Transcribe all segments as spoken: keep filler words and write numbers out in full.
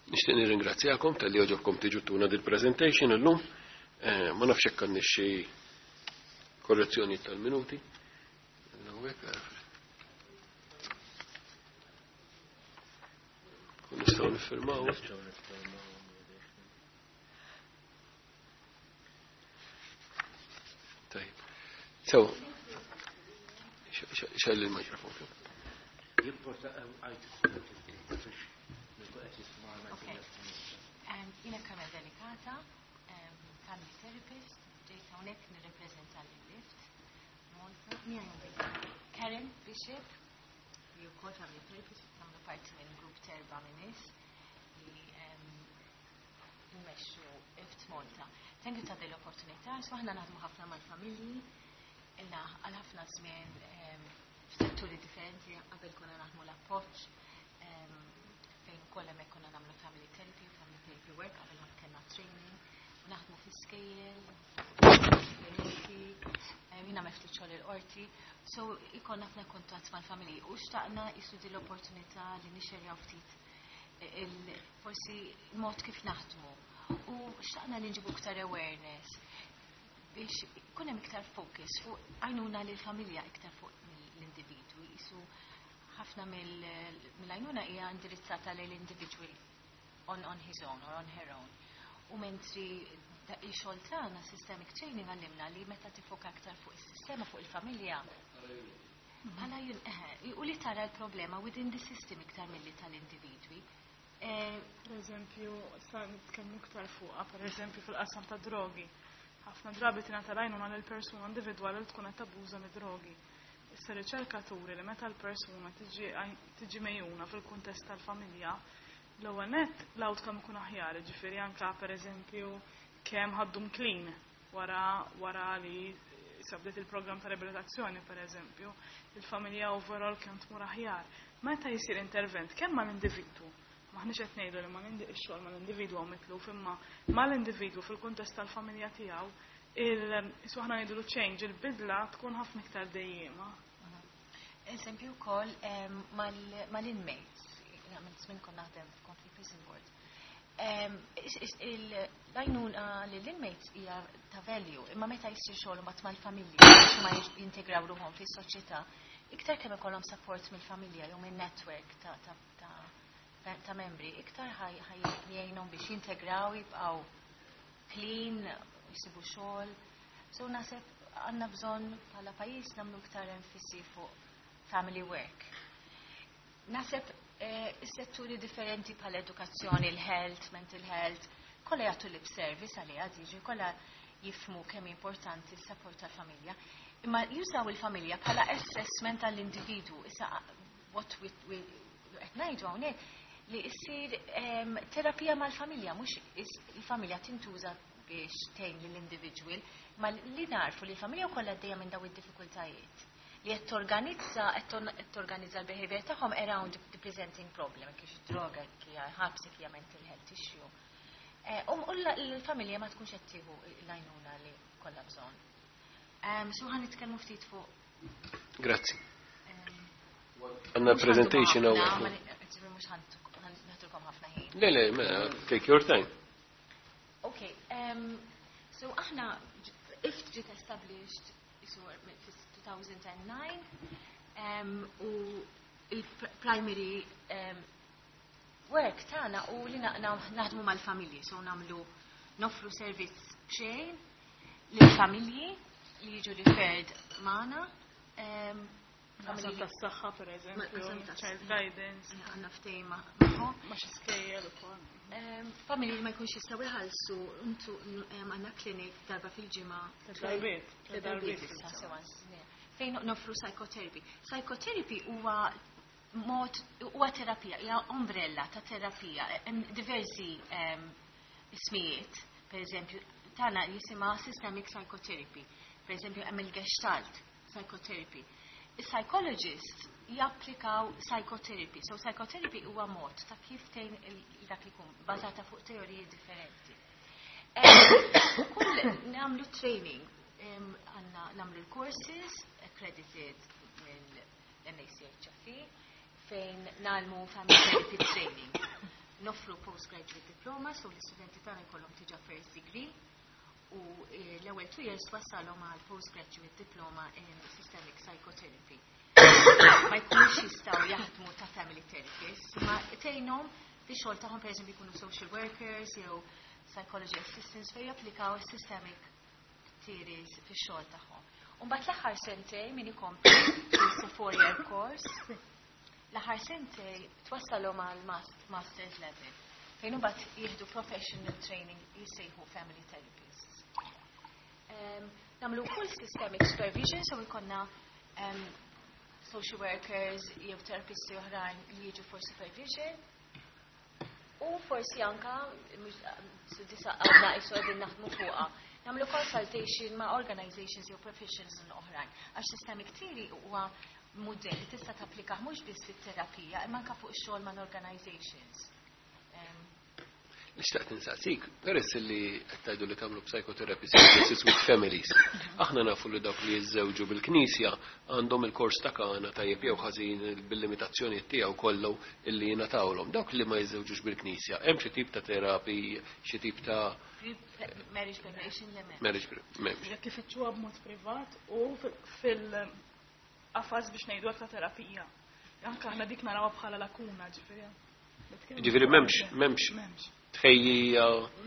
Nixtieq nirringrazzjakom talli għoġobkom tiġu tuna dil-presentation illum. Eh, ma nafx hekk għandniex xi korrezzjoni tal-minuti. Hawnhekk, kun nistgħu niffirmaw. Tajib. So, xell il-mikrofon. Jiena Carmel Delicata, family therapist, ġejt hawnhekk nirrepreżenta lil Lift Malta. Karen Bishop, li wkoll family therapist, nagħmlu parti minn grupp t'erba' minn nies li nmexxu Lift Malta. Thank you ta' din l-opportunità, so aħna naħdmu ħafna mal-familji, ilna għal ħafna żmien f'setturi differenti, qabel konna naħdmu l-appoġġ, fejn ukoll hemmhekk konna nagħmlu family therapy, family therapy work, qabel ma kellna training, u naħdmu fi-skejjel, jiena ftit xogħol il-qorti, so ikollna ħafna kuntatt mal-familji u xtaqna jisu din l-opportunità li nixxerjaw ftit forsi mod kif naħdmu u xtaqna li nġibu iktar awareness biex ikun hemm iktar focus fuq għajnuna lil familja iktar fuq l-individwi. Jisu ħafna mill-għajnuna hija indirizzata lil individual on, on his own or on her own. U mentri il-xogħol tagħna systemic training għallimna li meta tifoka aktar fuq is-sistema, fuq il-familja, bħala u li tara l-problema within the system iktar milli tal-individwi. Per eżempju, sa nitkellmu iktar fuqha, per eżempju fil-qasam ta' drogi. Ħafna drabi tingħata l-għajnuna lil persuna individwali li tkun qed tabbuża mid-drogi. Issa riċerka turi li meta l-persuna tiġi megħjuna fil-kuntest tal-familja, l-ewwel nett l-outcome ikun aħjar, ġifieri anke pereżempju kemm ħaddum clean wara wara li sabdet il-programm ta' riabilitazzjoni pereżempju, il-familja overall kemm tmur aħjar. Meta jsir intervent kemm mal-individwu, maħniex qed ngħidu li mal-xogħol mal-individwu mitluf, imma mal-individwu fil-kuntest tal-familja tiegħu, il aħna ngħidu change, il-bidla tkun ħafna iktar dejjema. Eżempju wkoll mal-inmates, għamilt żmien kont naħdem f'Conflict Prison Board. L-għajnuna lill-inmates hija ta' value, imma meta jsir xogħol mbagħad mal-familja biex ma jintegraw ruħhom fis-soċjetà, iktar kemm ikollhom support mill-familja jew minn network ta' ta' membri, iktar ħaj jgħinhom biex jintegraw, jibqgħu clean, jisibu xogħol. So naħseb għandna bżonn bħala pajjiż nagħmlu iktar enfasi fuq family work. Naħseb is-setturi differenti bħala edukazzjoni, il-health, mental health, kollha jagħtu lip service għaliha diġi, kollha jifhmu kemm importanti s-support tal-familja. Imma jużaw il-familja bħala assessment tal-individwu. Issa what we qed ngħidu hawnhekk li issir terapija mal-familja, mhux il-familja tintuża biex tgħin lill-individual, ma li narfu li l-familja wkoll għaddejja minn daw id-diffikultajiet li qed torganizza qed torganizza l-behavior tagħhom around the presenting problem, kif droga, kif ħabs, kif mental health issue. U l-familja ma tkunx qed tieħu l-għajnuna li kollha bżonn. So ħa nitkellmu ftit fuq. Grazzi. Għandna presentation hawn. Mhux ħa naħdulkom ħafna ħin. Le, le, take your time. Okay, um, so aħna I F T ġiet established two thousand nine um, u il-primary um, work tagħna u li naħdmu mal-familji, so nagħmlu noffru servizz b'xejn lill-familji li jiġu referred magħna. Um, Qasam tas-saħħa per eżempju, child guidance. Għandna ftehim magħhom. Ma' xi skejjel ukoll. Familji li ma jkunx jistgħu jħallsu, intu għandna clinic darba fil-ġimgħa. Darbiet. Darbiet. Fejn noffru psychotherapy. Psychotherapy huwa mod, huwa terapija, hija umbrella ta' terapija, hemm diversi ismijiet, per eżempju, tagħna jisimha systemic psychotherapy, per eżempju hemm il-Gestalt psychotherapy. Il-psychologist japplikaw psychotherapy. So psychotherapy huwa mod ta' kif tgħin dak li jkun bażata fuq teoriji differenti. Kull nagħmlu training, għandna nagħmlu l-courses accredited mill-M A C H F E fejn nagħmlu family therapy training. Noffru postgraduate diploma, so l-istudenti tagħna jkollhom diġà first degree u eh, l-ewwel two years twassalhom għal postgraduate diploma in systemic psychotherapy. Ma jkunux jistgħu jaħdmu ta' family therapists, ma tgħinhom fi xogħol tagħhom pereżempju jkunu social workers jew psychology assistants fejn japplikaw systemic theories fix-xogħol tagħhom. U mbagħad l-aħħar sentej min ikompli four year course, l-aħħar sentej twassalhom għal masters level fejn imbagħad jieħdu professional training jissejħu family therapists. Um, Nagħmlu full systemic supervision, so jkollna um, social workers jew terapisti oħrajn li jiġu for supervision. U forsi anka, disa għadna isu għedin naħdmu fuqha, nagħmlu consultation ma' organizations jew professionals oħrajn. Għax systemic theory huwa mudell li tista' tapplika mhux biss fit-terapija, imma anka fuq ix-xogħol ma' organizations. Em, Nixtaqt insaqsik, peress li qed tgħidu li tagħmlu psychotherapy services with families. Aħna nafu li dawk li jiżżewġu bil-Knisja għandhom il-kors ta' Kana tajjeb jew ħażin bil-limitazzjoni tiegħu kollu illi jingħatawlhom. Dawk li ma jiżżewġux bil-Knisja, hemm xi tip ta' terapi, xi tip ta' Marriage preparation le m'hemmx. Marriage m'hemmx. Jekk ifittxuha b'mod privat u fil-qafas biex ngħidu ta' terapija. Anka aħna dik narawha bħala lakuna, ġifieri. Ġifieri m'hemmx m'hemmx M'hemmx. tħejjija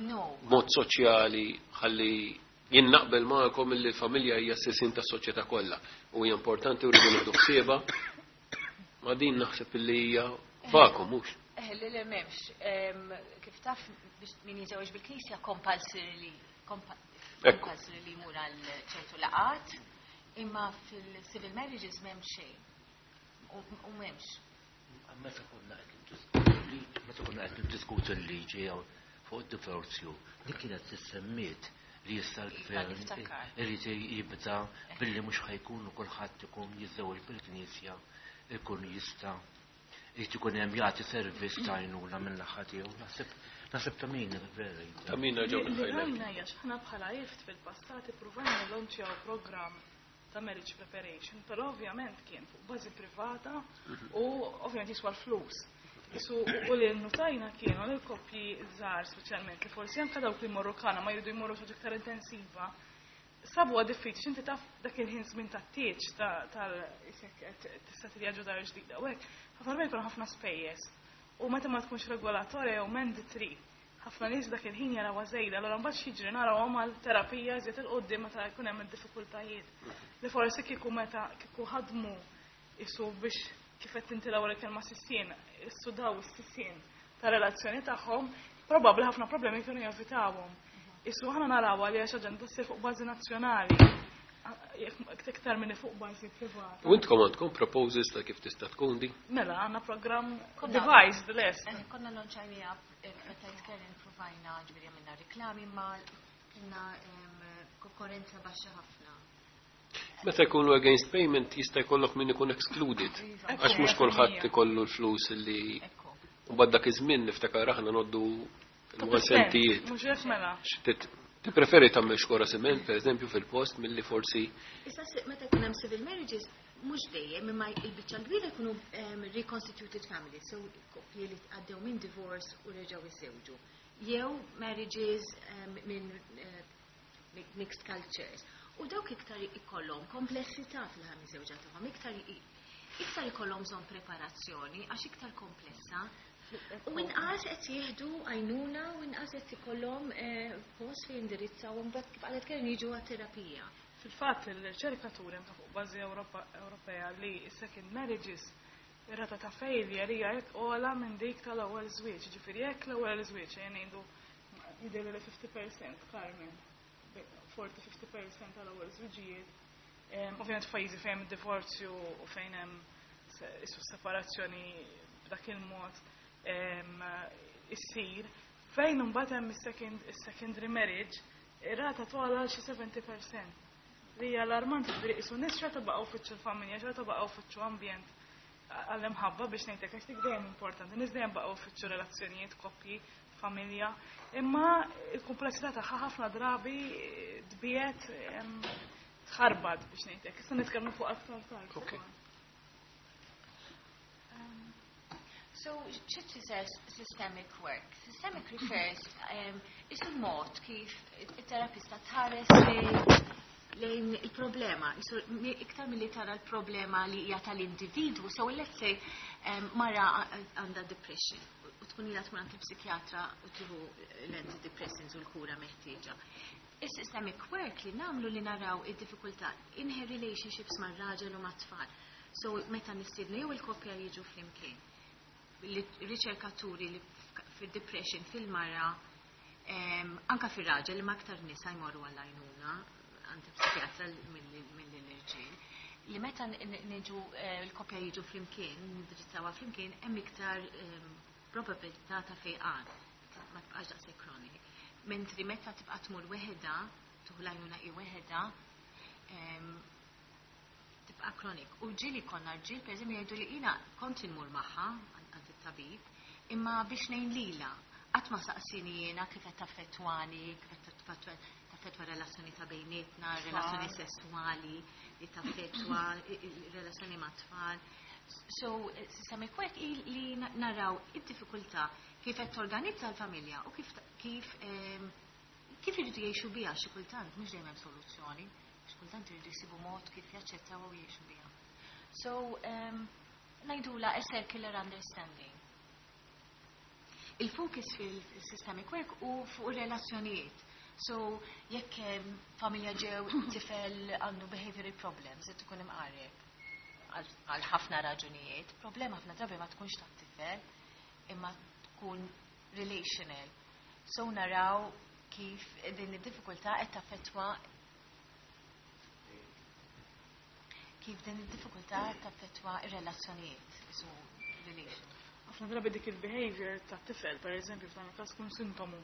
No. mod soċjali ħalli jien naqbel magħkom illi l-familja hija s-sisin tas-soċjetà kollha u hija importanti u rridu nieħdu ħsiebha. Ma din naħseb illi hija vakum mhux. Eh, le le m'hemmx. Em, Kif taf biex min jiżewġ bil-Knisja compulsorily Ekku. compulsory li jmur għal ċertu laqat, imma fil-civil marriages m'hemm xejn. U u m'hemmx. Meta konna qed niddiskutu l-liġi, meta konna qed niddiskutu l-liġi jew fuq id-divorzju, dik kienet tissemmiet li issa l-gvern Niftakar. irid jibda billi mhux ħa jkunu kulħadd ikun jiżżewweġ bil-Knisja, ikun jista' irid ikun hemm jagħti servizz ta' għajnuna minn naħa tiegħu. Naħseb naħseb ta' min vera. Ta' min ġew Li il-highlight. rajna hija x'aħna bħala I F T fil-passat ippruvajna nlaunċjaw programm ta' marriage preparation, però ovvjament kien fuq bażi privata u ovvjament jiswa l-flus. Isu u li notajna kienu li l-koppji żgħar speċjalment li forsi anke dawk li jmorru Kana ma jridu jmorru xi iktar intensiva, sabu diffiċli inti taf dak il-ħin żmien tat-tieġ tal tista' tivvjaġġu dar ġdida u hekk, ħafna drabi jkunu ħafna spejjeż. U meta ma tkunx regolatorja jew mandatory, ħafna nies dak il-ħin jaraw żejda, allura mbagħad x'jiġri narawhom għal terapija żied 'il quddiem meta jkun hemm id-diffikultajiet. Li forsi kieku meta kieku ħadmu isu biex kif qed inti l-ewwel kelma sissien, issudaw is-sissien ta' relazzjoni tagħhom, probabbli ħafna problemi kienu jevitawhom. Isu aħna narawha li għax aġenda ssir fuq bażi nazzjonali, jekk iktar minn fuq bażi privata. U intkom għandkom proposals ta' kif tista' tkun di? Mela, għandna programm Konna- devised lest. Eh, Konna launċajniha meta jitkellem provajna ġifieri għamilna reklami ma kellna em, konkurrenza baxxa ħafna. Meta jkunu against payment jista' jkollok min ikun excluded. Iva. Għax mhux kulħadd ikollu l-flus li Ekku. u bad dak iż-żmien niftakar aħna noddu l-sentijiet. Mhux hekk mela. Tippreferi tagħmel xkora siment, per eżempju, fil-post milli forsi Issa se- meta jkun hemm civil marriages mhux dejjem imma il-biċċa l-kbira jkunu em, reconstituted families, so koppji li għaddew minn divorce u reġgħu jiżżewġu. Jew marriages em, minn eh, mi- mixed cultures. U dawk iktar ikollhom komplessità fil-ħajja miżżewġa tagħhom, iktar i- iktar ikollhom bżonn preparazzjoni għax iktar komplessa. U inqas qed jieħdu għajnuna u inqas qed ikollhom eh, post fejn indirizzaw u mbagħad kif qalet Karen jiġu għat-terapija. Fil-fatt il-riċerkaturi anke fuq bażi Ewropa- Ewropea li second marriages ir-rata ta' failure hija jekk ogħla minn dik tal-ewwel żwieġ. Ġifieri jekk l-ewwel żwieġ jien ngħidu jidher li fifty percent Carmen, forty fifty percent tal-ewwel żwiġijiet. Em, Ovvjament f'pajjiżi fejn hemm id-divorzju u fejn hemm se- isu separazzjoni b'dak il-mod em, issir, fejn imbagħad hemm is-second is-secondary marriage, ir-rata togħla xi seventy percent. Li hija allarmanti ġifieri isu nies xorta baqgħu fittxu l-familja, xorta baqgħu fittxu ambjent għall-imħabba biex ngħidlek għax dik dejjem importanti. Nies dejjem baqgħu fittxu relazzjonijiet, koppji, familja, imma il-komplessità tagħha ħafna drabi tbiet em, tħarbad biex ngħidlek. Issa nitkellmu fuq aktar tard. Ok. So, xi tfisser systemic work? Systemic refers um, isu mod kif it-terapista tħares lejn il-problema. Isu iktar milli tara l-problema li hija tal-individwu. So, let's say um, mara għandha depression u tkun ilha tkun għand il-psikjatra u tieħu l-antidepressants u l-kura meħtieġa. Is-systemic work li nagħmlu li naraw id-diffikultà in her relationships mar-raġel u mat-tfal. So, meta nistiednu jew il-koppja jiġu flimkien. Riċerkaturi li fil-depression fil-mara, anka fil-raġel, li ma aktar nisa jmorru għall-għajnuna għand psikjatra mill-irġiel, li meta niġu l-koppja jiġu flimkien, nindirizzawha flimkien, hemm iktar probabilità ta' fejqan, ma tibqax daqshekk kronik. Mentri meta tibqa' tmur weħeda, tieħu l-għajnuna hi weħeda, tibqa' kronik. U ġieli konna rġiel, per eżempju, jgħidu li jiena kont inmur magħha għand it-tabib, imma biex ngħin lilha, qatt ma saqsini jiena kif qed taffettwani, kif qed taffettwa relazzjoni ta' bejnietna, relazzjoni sessuali, li taffettwa relazzjoni ma' tfal. So, systemic work li naraw id-diffikultà kif qed torganizza l-familja u kif kif kif iridu jgħixu biha xi kultant mhux dejjem hemm soluzzjoni, xi kultant iridu jsibu mod kif jaċċettaw u jgħixu biha. So, um, ngħidula a circular understanding. Il-focus fil-systemic work u fuq relazzjonijiet. So, jekk familja ġew tifel għandu behavioral problems, qed ikun imqarreb għal ħafna raġunijiet, problema ħafna drabi ma tkunx tat-tifel, imma tkun relational. So naraw kif din id-diffikultà qed taffettwa kif din id-diffikultà qed taffettwa ir-relazzjonijiet, so relation. Ħafna drabi dik il-behavior tat-tifel, per eżempju, f'dan il-każ tkun sintomu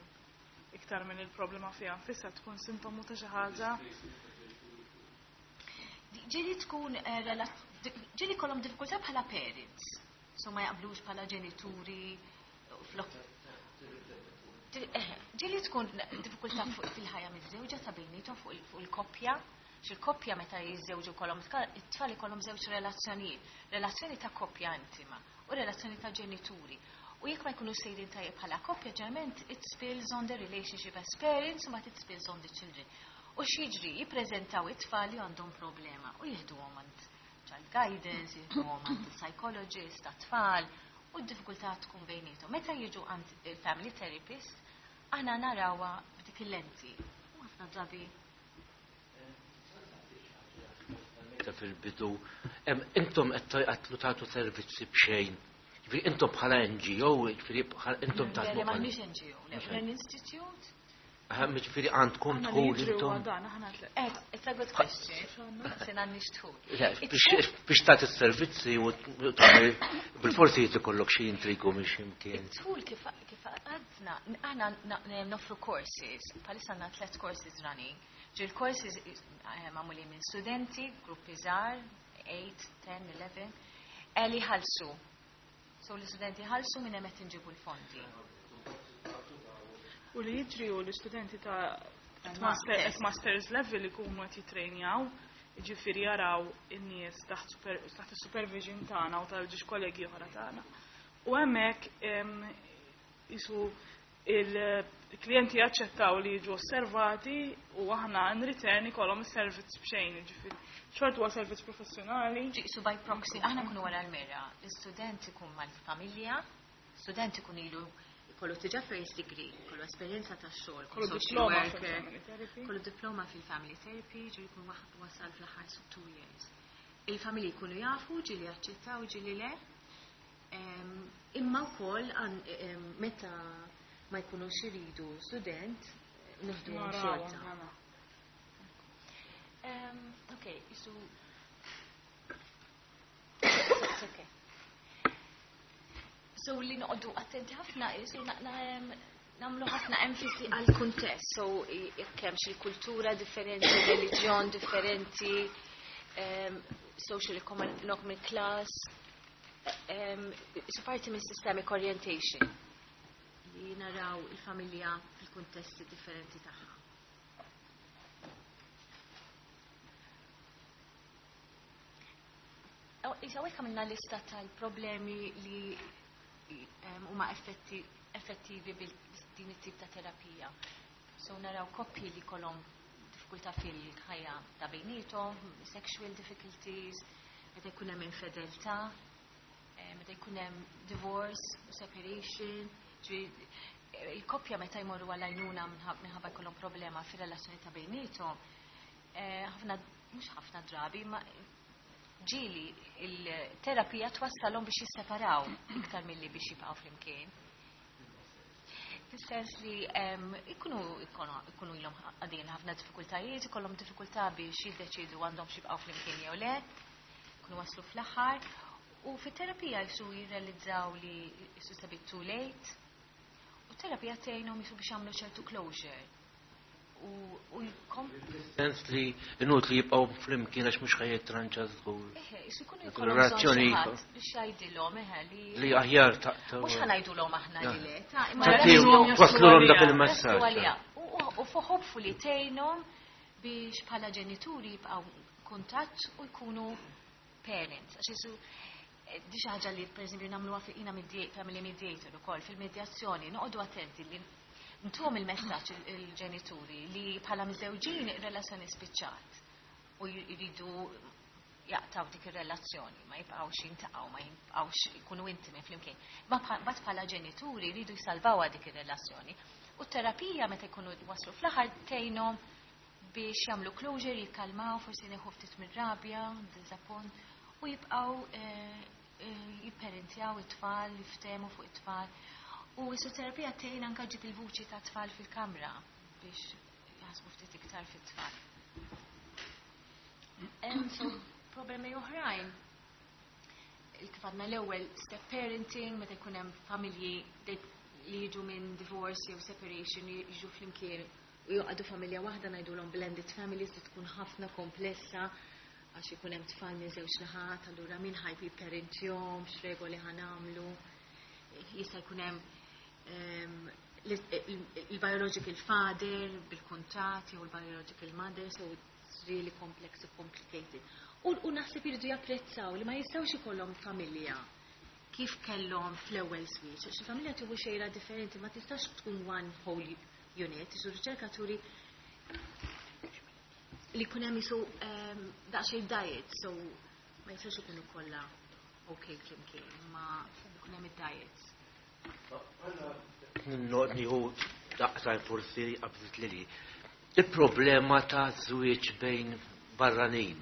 iktar minn il-problema fiha nfisha tkun sintomu ta' xi ħaġa. Ġieli tkun ġieli kollhom diffikultà bħala parents, so ma jaqblux bħala ġenituri, ġieli tkun diffikultà fil-ħajja miż-żewġa ta' bejniethom fuq il-koppja, x'il-koppja meta jiżżewġu kollhom it-tfal ikollhom żewġ relazzjonijiet, relazzjoni ta' koppja intima u relazzjoni ta' ġenituri. U jekk ma jkunu sejrin tajjeb bħala koppja, ġeneralment it spills on the relationship as parents u ma it spills on the children. U x'jiġri, jippreżentaw it-tfal li għandhom problema u jieħduhom għand child guidance, jieħduhom għand il-psychologist, tat-tfal, u d-diffikultà tkun bejniethom. Meta jiġu għand il-family therapist, aħna narawha b'dik il-lenti. U ħafna drabi fil-bidu, intom qed tagħtu servizzi b'xejn. Ġifieri intom bħala N G O, ġifieri intom tagħtu. Le, m'aħniex N G O, le, l-institute. Ġifieri għandkom dħul intom. It's a good question. Se m'għandniex dħul. Biex tagħti s-servizzi u tagħmel bil-forsi jrid ikollok xi intrigu minn xi mkien. Id-dħul kif għadna, aħna noffru courses, bħalissa għandna tliet courses running. Ġil courses magħmulin minn studenti, gruppi żgħar, eight, ten, eleven, li ħallsu. So l-istudenti ħallsu minn hemm qed inġibu l-fondi. U li jiġri u l-istudenti ta' at masters level ikunu qed jitrejnjaw, jiġifieri jaraw in-nies taħt is-supervision tagħna u tal-ġiex kollegi oħra tagħna. U hemmhekk isu il-klijenti jaċċettaw li jiġu osservati u aħna in return ikollhom is-servizz b'xejn, jiġifieri xort huwa servizz professjonali. Ġisu by proxy, aħna nkunu wara l-mera, l-istudent ikun mal-familja, student ikun ilu kollu diġà first degree, kollu esperjenza ta' xogħol, kollu social diploma worker, fil-family therapy. Kollu diploma fil-family therapy, ġi jkun wasal fl-aħħar two years. Il-familji jkunu jafu, ġieli jaċċettaw, ġieli le. Imma wkoll meta ma jkunux iridu student, nieħduhom xorta. Okay, so it's okay. So li noqogħdu attenti ħafna, so nagħmlu ħafna enfasi għal kuntest. So jekk hemm xi kultura differenti, reliġjon differenti, social economic class, so parti minn systemic orientation li naraw il-familja fil-kuntesti differenti tagħha. Issa hekk għamilna lista tal-problemi li huma effettivi bil-din it-tip ta' terapija. So naraw koppji li kollhom diffikultà fil-ħajja ta' bejniethom, sexual difficulties, meta jkun hemm infedeltà, meta jkun hemm divorce, separation, il-koppja meta jmorru għal-għajnuna minħabba jkollhom problema fir-relazzjoni ta' bejniethom, ħafna mhux ħafna drabi, ma ġieli il-terapija twassalhom biex jisseparaw iktar milli biex jibqgħu flimkien. Fis-sens li ikunu ikunu ilhom għaddejjin ħafna diffikultajiet, ikollhom diffikultà biex jiddeċidu għandhom jibqgħu flimkien jew le, ikunu waslu fl-aħħar, u fit-terapija jisu jirrealizzaw li jisu it's a bit too late, u terapija tgħinhom jisu biex jagħmlu ċertu closure. U jkom. Sens li inut li jibqgħu flimkien għax mhux ħa jitranġa żgur. Eħe, jisu jkunu jkollhom bżonn biex jgħidilhom eħe li. Li aħjar taqtaw. Mhux ħa ngħidulhom aħna li le, ta' imma twaslulhom dak il-messaġġ. U hopefully tgħinhom biex bħala ġenituri jibqgħu kuntatt u jkunu parents. Għax jisu di xi ħaġa li pereżempju nagħmluha fiqina family mediator ukoll fil-medjazzjoni, noqogħdu attenti li ntuhom il-messaġġ il-ġenituri li bħala miżewġin ir-relazzjoni spiċċat u jridu jaqtaw dik ir-relazzjoni, ma jibqgħux jintaqgħu, ma jibqgħux ikunu intimi flimkien. Ma bat bħala ġenituri jridu jsalvawha dik ir-relazzjoni. U t-terapija meta jkunu waslu fl-aħħar tgħinhom biex jagħmlu closure, jikkalmaw, forsi neħu ftit mir-rabja, diżappunt, u jibqgħu jipparentjaw it-tfal, jiftehmu fuq it-tfal. U terapija tgħin anke ġib il-vuċi ta' tfal fil-kamra biex jaħsbu ftit iktar fit-tfal. So, problemi oħrajn. Kif għadna l-ewwel step parenting, meta jkun hemm familji li jiġu minn divorce jew separation jiġu flimkien u joqgħdu familja waħda ngħidulhom blended families li tkun ħafna komplessa għax ikun hemm tfal minn żewġ naħat, allura min ħa jipparentjahom, x'regoli ħa nagħmlu. Jista' jkun hemm il-biological father bil-kuntratt jew il-biological mother, so it's really complex and complicated. U, u naħseb jridu japprezzaw li ma jistgħux ikollhom familja kif kellhom fl-ewwel switch. Għax il-familja tieħu xejra differenti, ma tistax tkun one whole unit. Isu riċerkaturi li jkun hemm jisu daqsxejn diet, so ma jistax ikunu kollha okay flimkien, ma jkun hemm id-diets. Nieħu daqsajn forsi qabżit li li. Il-problema ta' żwieġ bejn barranin.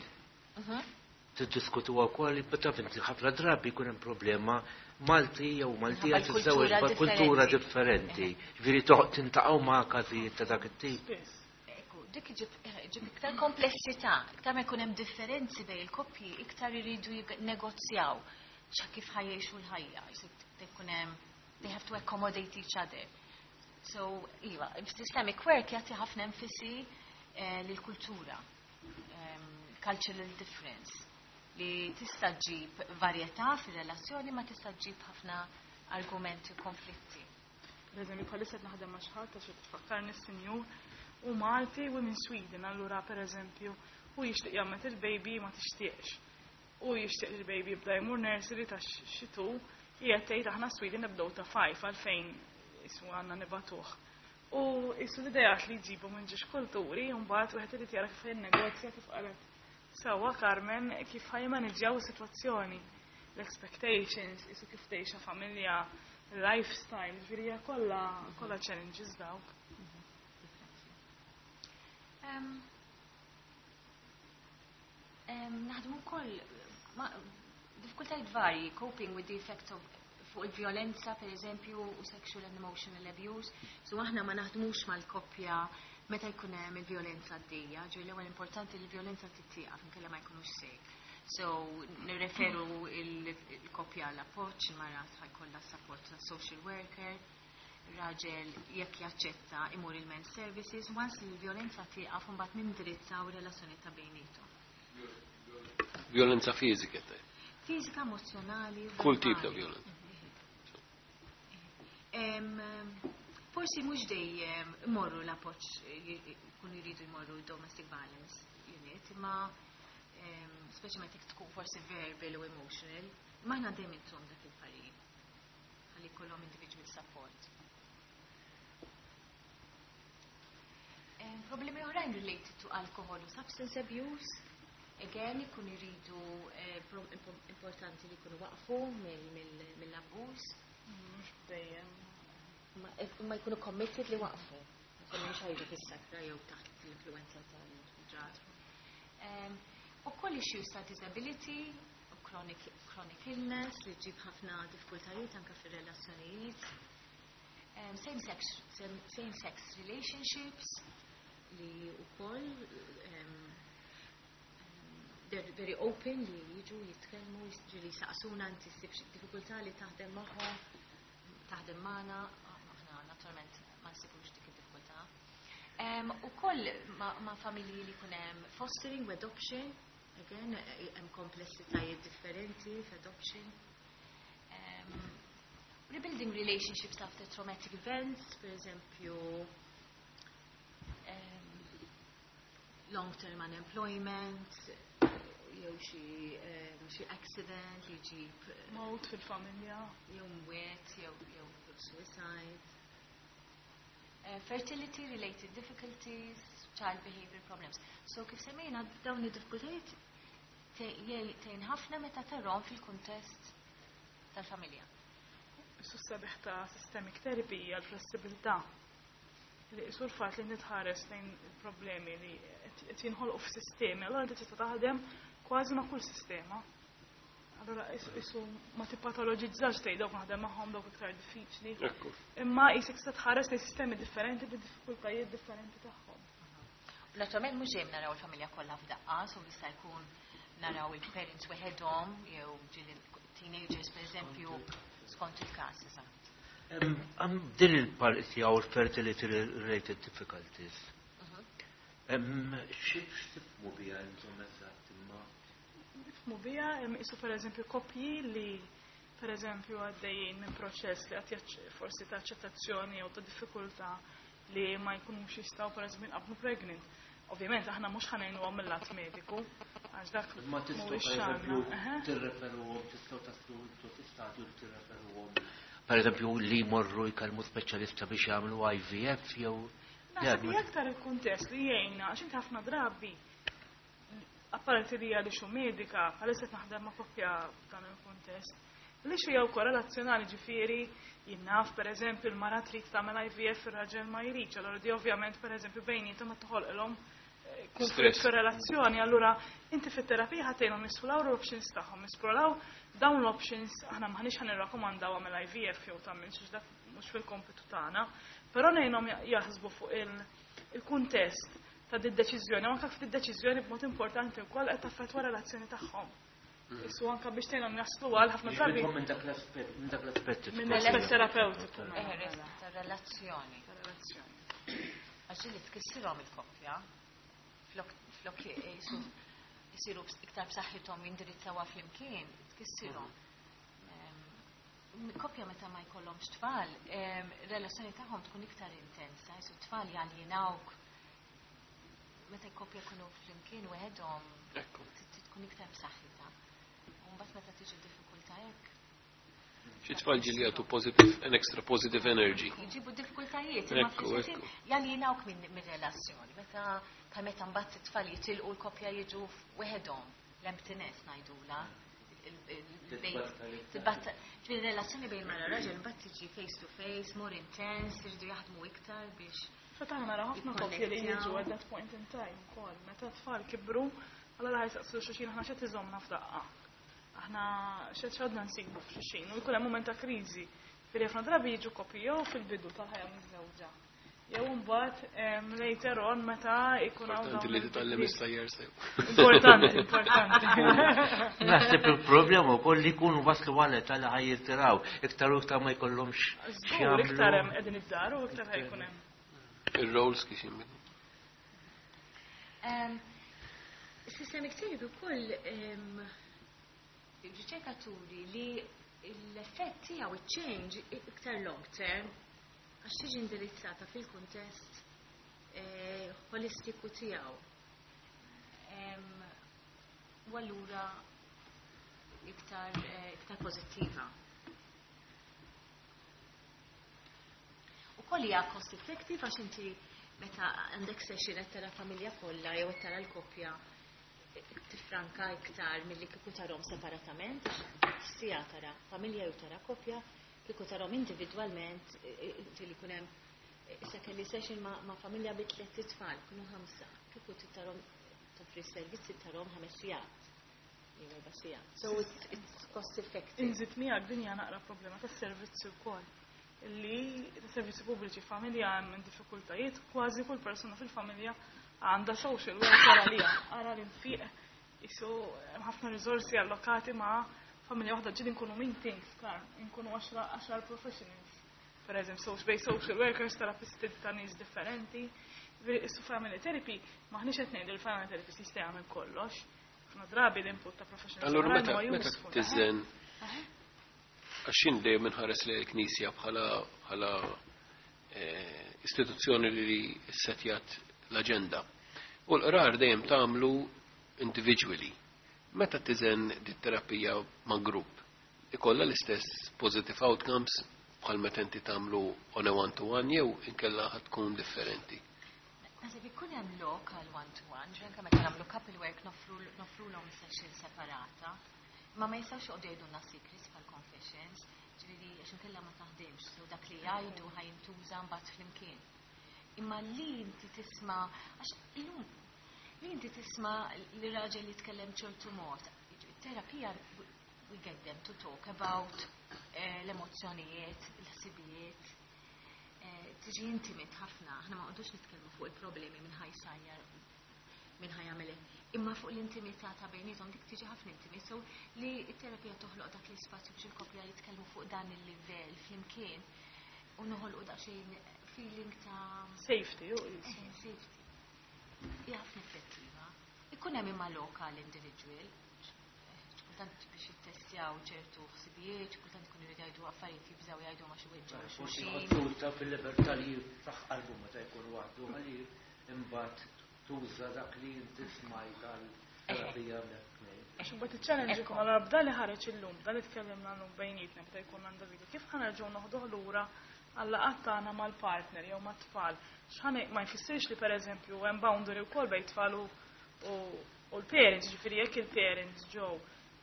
Tiddiskutu wkoll, taf inti ħafna drabi jkun hemm problema Malti jew Maltija tiżżewweġ kultura differenti. Ġifieri tintaqgħu ma' każijiet ta' dak it-tip. Dik ġib iktar komplessità, iktar ma jkun hemm differenzi bejn il-koppji, iktar iridu negozjaw xa kif ħa jgħixu l-ħajja, jkun hemm they have to accommodate each other. So, iva, systemic work jagħti ħafna enfasi eh, lill-kultura, um, cultural difference, li tista' ġib varjetà fir-relazzjoni ma tista' ġib ħafna argumenti u konflitti. Per eżempju, bħalissa naħdem ma' xi ħadd għax tfakkarni s-sinjur u Malti u minn Sweden, allura per eżempju, u jixtieq jagħmel il-baby ma tixtieqx. U jixtieq il-baby jibda jmur nursery ta' xitu, hija tgħid aħna Sweden nibdew ta' five għalfejn isu għandna nibatuh. U isu l-idejat li jġibu minn ġiex kulturi, u mbagħad wieħed irid jara kif jinnegozja kif qalet sewwa Carmen kif ħa jmaniġġjaw is-sitwazzjoni, l-expectations, isu kif tgħixha familja, lifestyle, ġifieri hija kollha kollha challenges dawk. Um, um, naħdmu wkoll diffikultajiet varji, coping with the effects of fuq il-violenza, per eżempju, u sexual and emotional abuse. So aħna ma naħdmux mal-koppja meta jkun hemm il-violenza għaddejja, ġej l-ewwel importanti li l-violenza tittieqaf inkella ma jkunux safe. So nirreferu il-koppja għall appoġġ, il-mara jkollha support ta' social worker, raġel jekk jaċċetta imur il-men services, once li l-violenza tieqaf mbagħad nindirizzaw relazzjoni ta' bejniethom. Violenza fizika te. Fizika, emozjonali. Kull tip ta' violenza. Forsi mhux dejjem imorru l-appoġġ jkunu jridu jmorru domestic violence unit, imma speċjalment jekk tkun forsi verbal u emotional, ma aħna dejjem intom dak il-parir. Ħalli jkollhom individual support. Problemi oħrajn related to alcohol u substance abuse, again, ikun iridu importanti li jkunu waqfu mill-abbuż. Mhux dejjem. Ma jkunu committed li waqfu. Mhux ħajġu fis-sakra jew taħt l-influenza tal-drug. Ukoll issues ta' disability, chronic, chronic illness li ġib ħafna diffikultajiet anke fir-relazzjonijiet. Um, same sex, same, same sex relationships li wkoll um, they're very open li jiġu jitkellmu, ġieli saqsuna inti ssib xi diffikultà li taħdem magħhom, taħdem magħna, aħna naturalment ma nsibux dik id-diffikultà. Um, ukoll ma, ma familji li jkun hemm fostering u adoption, again, hemm komplessitajiet differenti f'adoption. Um, rebuilding relationships after traumatic events, per eżempju, um, long-term unemployment, jew xi um, xi accident li jġib Mewt fil-familja. jew mwiet, jew jew suicide. Uh, fertility related difficulties, child behavior problems. So kif semmejna dawn id-diffikultajiet tgħin ħafna meta tarahom fil-kuntest tal-familja. Isu sabiħ ta' systemic therapy hija l-flessibilità. Li isu l-fatt li nitħares lejn il-problemi li qed jinħolqu f'sistemi, allora inti tista' taħdem kważi ma' kull sistema. Allora isu ma tippatologizzax tgħid dawk naħdem magħhom dawk iktar diffiċli. Ekku. Imma qisek tista' tħares lejn sistemi differenti bid-diffikultajiet differenti tagħhom. Naturalment mhux dejjem naraw il-familja kollha f'daqqa, so jista' jkun naraw il-parents weħedhom jew ġieli teenagers per eżempju skont il-każ, eżatt. Din il-parti għaw fertility related difficulties. X'tifhmu biha intom eżatt imma? Nifhmu biha isu per eżempju koppji li per eżempju għaddejjin minn proċess li għad forsi ta' aċċettazzjoni jew ta' diffikultà li ma jkunux jistgħu per eżempju jinqablu pregnant. Ovvjament aħna mhux ħa ngħinuhom mill-lat mediku, għax dak Ma tistgħu mhuwiex per eżempju xagħna. Eħe. tirreferuhom, tistgħu taslu intu fi stadju li tirreferuhom. Per eżempju li jmorru jkellmu speċjalista biex jagħmlu I V F jew Naħseb li aktar il-kuntest li jgħinna, għax inti ħafna drabi, apparti li hija li xu medika, bħalissa qed naħdem ma' koppja f'dan il-kuntest, li xu jew korrelazzjonali, ġifieri jinnaf per eżempju l-mara trid tagħmel I V F, ir-raġel ma jridx, allora di ovvjament per eżempju bejniethom qed toħolqilhom eh, konflitt Stress. fir-relazzjoni, allura inti fit-terapija ħa tgħinhom jesploraw l-options tagħhom, jesploraw dawn l-options, aħna m'aħniex ħa nirrakkomandaw għamel I V F jew tagħmel xi dak mhux fil-kompitu tagħna, però ngħinhom jaħsbu fuq il- il-kuntest ta' di deċiżjoni, anke f'di deċiżjoni b'mod importanti wkoll qed taffettwa relazzjoni tagħhom. Isu anke biex tgħinhom jaslu għal ħafna drabi Minn dak l-aspett, minn dak l-aspett. Minn l-aspett terapeutiku. Eħe, ta' relazzjoni. Ta' relazzjoni. Għax li tkissirhom il-koppja, flok flok jisu jisiru iktar b'saħħithom jindirizzawha flimkien, tkissirhom. Em, Koppja meta ma jkollhomx tfal, em, relazzjoni tagħhom tkun iktar intensa, jisu tfal jaljinawk. Meta koppja jkunu flimkien weħedhom Ekku. tkun iktar b'saħħitha. U mbagħad meta tiġi diffikultà hekk, Xi tfal ġieli jagħtu positive, an extra positive energy. Jġibu diffikultajiet, imma Ekku, fl-istess ekku. ħin jaljinawk minn minn relazzjoni. Meta bħal meta mbagħad it-tfal jitilqu l-koppja jiġu weħedhom, l-emptiness ngħidula. Tibatta, ġifieri relazzjoni bejn mara raġel mbagħad tiġi face to face, more intense, iridu jaħdmu iktar biex Feta nara ħafna koppji li jiġu at that point in time ukoll. Meta tfal kibru, allora ħa jsaqsu xulxin aħna x'qed iżommna f'daqqa. Aħna x'qed x'għadna nsibu f'xulxin u jkun hemm mument ta' kriżi. Firri ħafna drabi jiġu koppji jew fil-bidu tal-ħajja miżżewġa. Jew mbagħad em, later on meta jkun hawn Importanti dawn li titgħallem il-bidliet. is-sajjer sew. Importanti, importanti. Naħseb il-problema wkoll li jkunu waslu għal età li ħa jirtiraw, iktar u iktar ma jkollhomx Żgur iktar hemm qegħdin id-dar u iktar ħa jkun hemm. Ir-roles kif jinbidlu. Um, Systemic therapy wkoll um, riċerkaturi li l-effett tiegħu il-change iktar long term għax tiġi indirizzata fil-kuntest eh, holistiku tiegħu. Em, U allura iktar eh, iktar pożittiva. Ukoll hija cost effective għax inti meta għandek session qed tara familja kollha jew qed tara l-koppja tifranka iktar milli kieku tarahom separatament, siegħa tara familja jew tara koppja, kieku tarahom individwalment, li jkun hemm issa kelli session ma', ma familja bi tliet itfal, kienu ħamsa, kieku tarahom toffri servizzi tarahom ħames sigħat. Jew erba' sigħat. So it's, it's cost effective. Inżid miegħek din hija naqra problema tas-servizzi wkoll. Li servizzi pubbliċi familja hemm diffikultajiet, kważi kull persuna fil-familja għandha social worker għalija. Ara l-infiq isu hemm ħafna riżorsi allokati ma' familja waħda ġieli nkunu meetings, klar, nkunu għaxar professionals. Per eżempju, so, bejn social workers, terapisti ta' nies differenti. Issu family therapy, maħniex qed ngħidu li family therapist jista' jagħmel kollox. Ħafna drabi l-input ta' professionals Allura oħrajn meta huwa meta useful. tiżen għax jien dejjem inħares li l-Knisja bħala bħala eh, istituzzjoni li setjat l-aġenda. U l-qrar dejjem tagħmlu individually. Meta tiżen dit terapija ma' grupp, ikollha l-istess positive outcomes bħal meta inti tagħmlu on a one-to-one jew inkella ħad tkun differenti. Naħseb ikun hemm lok għal one-to-one, ġi anke meta nagħmlu couple work noffru noffrulhom session separata. Ma ma jistgħux joqogħdu jgħidulna secrets bħal confessions, ġifieri għax inkella ma taħdimx, so dak li jgħidu ħa jintuża mbagħad flimkien. Imma li inti tisma' għax illum li inti tisma' li raġel jitkellem ċertu mod, terapija we get them to talk about eh, l-emozzjonijiet, l-ħsibijiet, eh, tiġi intimate ħafna, aħna ma qogħdux nitkellmu fuq il-problemi minn ħa jsajjar minn ħa jagħmel imma fuq l-intimità ta' bejniethom dik tiġi ħafna intimate, so li t-terapija toħloq dak l-ispazju biex il-koppja jitkellmu fuq dan il-livell flimkien u noħolqu daqsxejn feeling ta' Safety, u eh, safety. Hija ħafna effettiva. Ikun hemm imma lokal individual, kultant biex jittestjaw ċertu ħsibijiet, kultant ikunu jridu jgħidu affarijiet jibżgħu jgħidu ma xi weġġgħu Forsi xulxin. ħodduta fil-libertà li jiftaħ qalbu meta jkun waħdu għalli imbagħad tuża dak li inti smajt għal-terapija tnejn. Għax imbagħad iċ-challenge ikun allura b'da li ħareġ illum, b'da li tkellimna llum bejnietna meta jkun għandha video, kif ħa nerġgħu noħduh lura għal-laqgħat tagħna mal-partner jew mat-tfal. X'ħa ma jfissirx li pereżempju hemm boundary wkoll bejn tfal u u l-parents, ġifieri jekk il-parents ġew,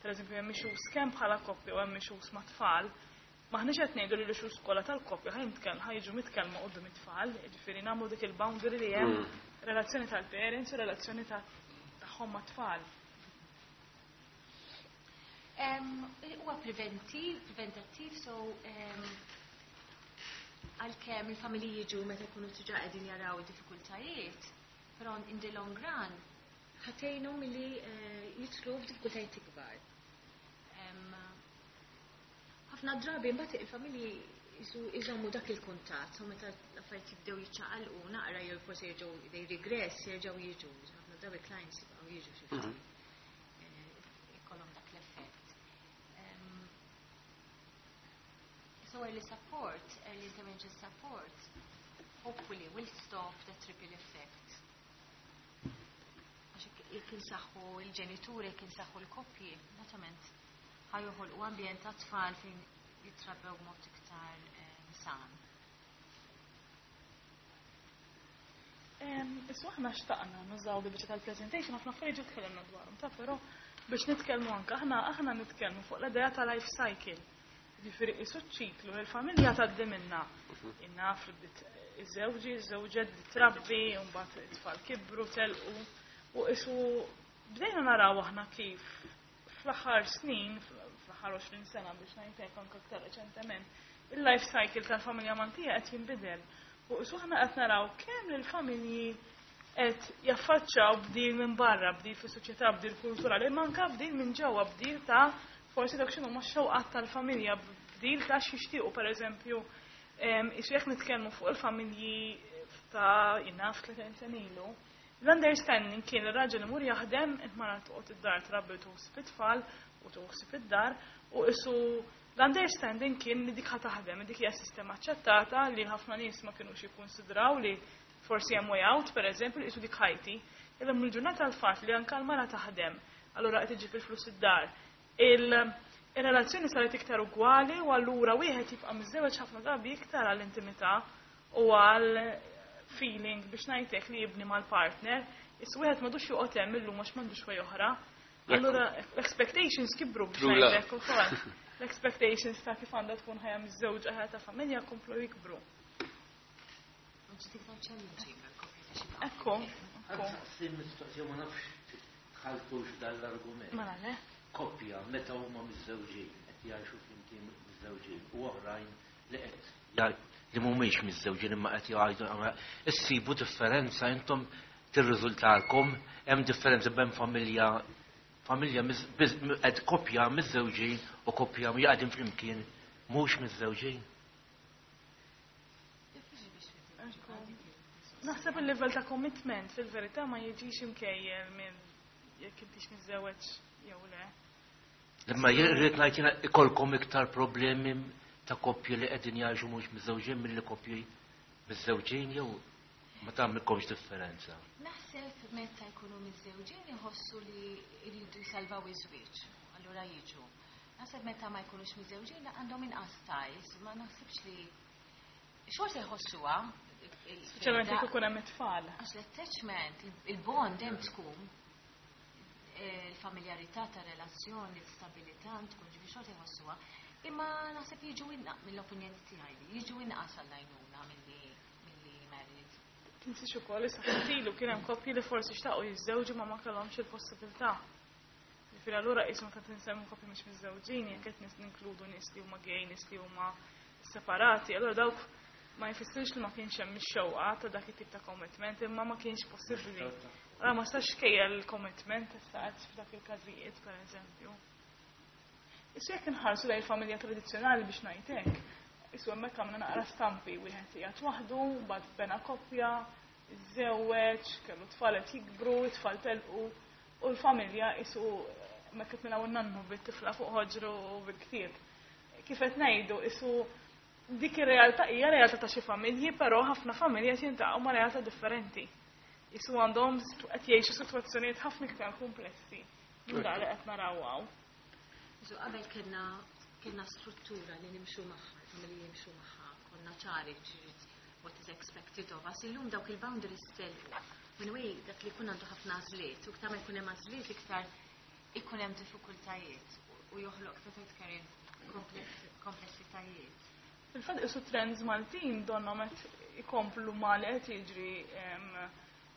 pereżempju hemm issues kemm bħala koppja u hemm issues ma' tfal, maħniex qed ngħidu li l-issues kollha tal-koppja ħa jitkellmu ħa jiġu mitkellma quddiem it-tfal, ġifieri nagħmlu dik il-boundary li hemm Mm. relazzjoni tal-parents u relazzjoni ta' tagħhom ma' tfal. Em, Huwa preventiv, preventattiv, so em, għalkemm il-familji jiġu meta jkunu diġà qegħdin jaraw id-diffikultajiet, però in the long run ħa tgħinhom milli eh, jidħlu f'diffikultajiet ikbar. Em, Ħafna drabi mbagħad il-familji jisu iżommu dak il-kuntatt, u meta l-affarijiet jibdew jiċċaqalqu naqra jew forsi jerġgħu they regress, jerġgħu jiġu. Ħafna drabi clients jibqgħu jiġu xi ftit. Eh, ikollhom dak l-effett. Em, So early support, early intervention support, hopefully will stop that ripple effect. Għax jekk- jekk insaħħu il-ġenituri, jekk insaħħu l-koppji, naturalment ħa joħolqu ambjent ta' tfal fejn jitrabbew b'mod iktar eh, san. Em, Issu aħna xtaqna nużaw bi biċċa tal-presentation, ħafna affarijiet ġa tkellimna dwarhom, ta' però biex nitkellmu anke aħna aħna nitkellmu fuq l-idea ta' life cycle. Ġifieri isu ċiklu li l-familja tgħaddi minna. Innaf li bdiet iż-żewġi, iż-żewġet bdiet trabbi, u mbagħad it-tfal kibru, telqu. U isu bdejna naraw aħna kif fl-aħħar snin, fl-aħħar għoxrin sena biex ngħidlek anke aktar reċentement, il-life cycle tal-familja Maltija qed jinbidel. U isu aħna qed naraw kemm il-familji qed jaffaċċaw bdil minn barra, bdil fis-soċjetà, bdil kulturali, imma anke bdil minn ġewwa, bdil ta' forsi dak x'inhu x-xewqat tal-familja, bdil ta' x'jixtiequ pereżempju, em, isu jekk nitkellmu fuq il-familji ta' jiena tletin sena ilu, l-understanding kien ir-raġel imur jaħdem, il-mara toqgħod id-dar trabbi tuħsib it-tfal u tuħsib id-dar, u isu l-understanding kien li dik ħa taħdem, dik hija sistema aċċettata li ħafna nies ma kinux jikkonsidraw li forsi hemm way out, per eżempju, li isu dik ħajti. Illum il-ġurnata l-fatt li anke l-mara taħdem, allura qed iġib il-flus id-dar. Il- Il-relazzjoni saret iktar ugwali u allura wieħed jibqa' miżżewweġ ħafna drabi iktar għall-intimità u għal feeling biex ngħidlek li jibni mal-partner, issa wieħed m'għadux joqgħod hemm illum għax m'għandux way oħra. Allura l-expectations kibru biex ngħidlek ukoll. L-expectations ta' kif għandha tkun ħajja miż-żewġ ħajja ta' familja komplu jikbru. Ekku. Mistoqsija ma nafx tħaltux dan l-argument. Mela le. Koppja meta huma miżżewġin qed jgħixu flimkien miżżewġin u oħrajn li qed li mhumiex miżżewġin imma qed jgħidu issibu differenza intom tirriżultalkom hemm differenza bejn familja familja qed koppja miżżewġin u koppja jaqgħdin flimkien mhux miżżewġin. Naħseb il-level ta' commitment fil-verità ma jiġix imkejjel minn jekk intix miżżewweġ jew le. Imma jrid ngħid jiena ikolkom iktar problemi ta' koppji li qegħdin jgħixu mhux miżżewġin milli koppji miżżewġin jew ma tagħmilkomx differenza. Naħseb meta jkunu miżżewġin iħossu li jridu jsalvaw iż-żwieġ, allura jiġu. Naħseb meta ma jkunux miżżewġin għandhom inqas ties, ma naħsibx li xorta jħossuha. Speċjalment jekk ikun hemm it-tfal. Għax l-attachment, il-bond hemm tkun il-familjarità ta' relazzjoni, l-istabilità tkun ġifi xorta jħossuha, imma naħseb jiġu inqas mill-opinjoni tiegħi, jiġu inqas għall-għajnuna milli married. Tinsiex ukoll issa ftit kien hemm koppji li forsi xtaqu jiżżewġu ma ma kellhomx il-possibilità. Ġifieri allura qishom ta' tinsemmu koppji mhux miżżewġin jekk qed ninkludu nies li huma gay, nies li huma separati, allura dawk ma jfissirx li ma kienx hemm ix-xewqa ta' dak it-tip ta' commitment, imma ma kienx possibbli. Allora ma stax kejjel il-commitment issa f'dak il-każijiet, pereżempju. Issu jekk inħarsu lejn il-familja tradizzjonali biex ngħid hekk, issu hemmhekk għamilna naqra stampi wieħed qiegħed waħdu, mbagħad bena koppja, iżżewweġ, kellu tfal qed jikbru, it-tfal telqu, u l-familja isu hemmhekk qed naraw in-nannu bit-tifla fuq ħoġru u bil-ktieb. Kif qed ngħidu, isu dik ir-realtà hija realtà ta' xi familji, però ħafna familji qed jintaqgħu ma' realtà differenti. Isu għandhom qed jgħixu sitwazzjonijiet ħafna iktar komplessi minn dak li qed naraw hawn. Isu qabel kellna kellna struttura li nimxu magħha, il-familji jimxu magħha, konna ċari what is expected of us. Illum dawk il-boundaries telqu. Minn way dak li jkun għandu ħafna għażliet, u iktar ma jkun hemm għażliet iktar ikun hemm diffikultajiet u joħloq kif Karin komplessitajiet. Fil-fatt isu trends Maltin donnhom qed ikomplu ma li qed jiġri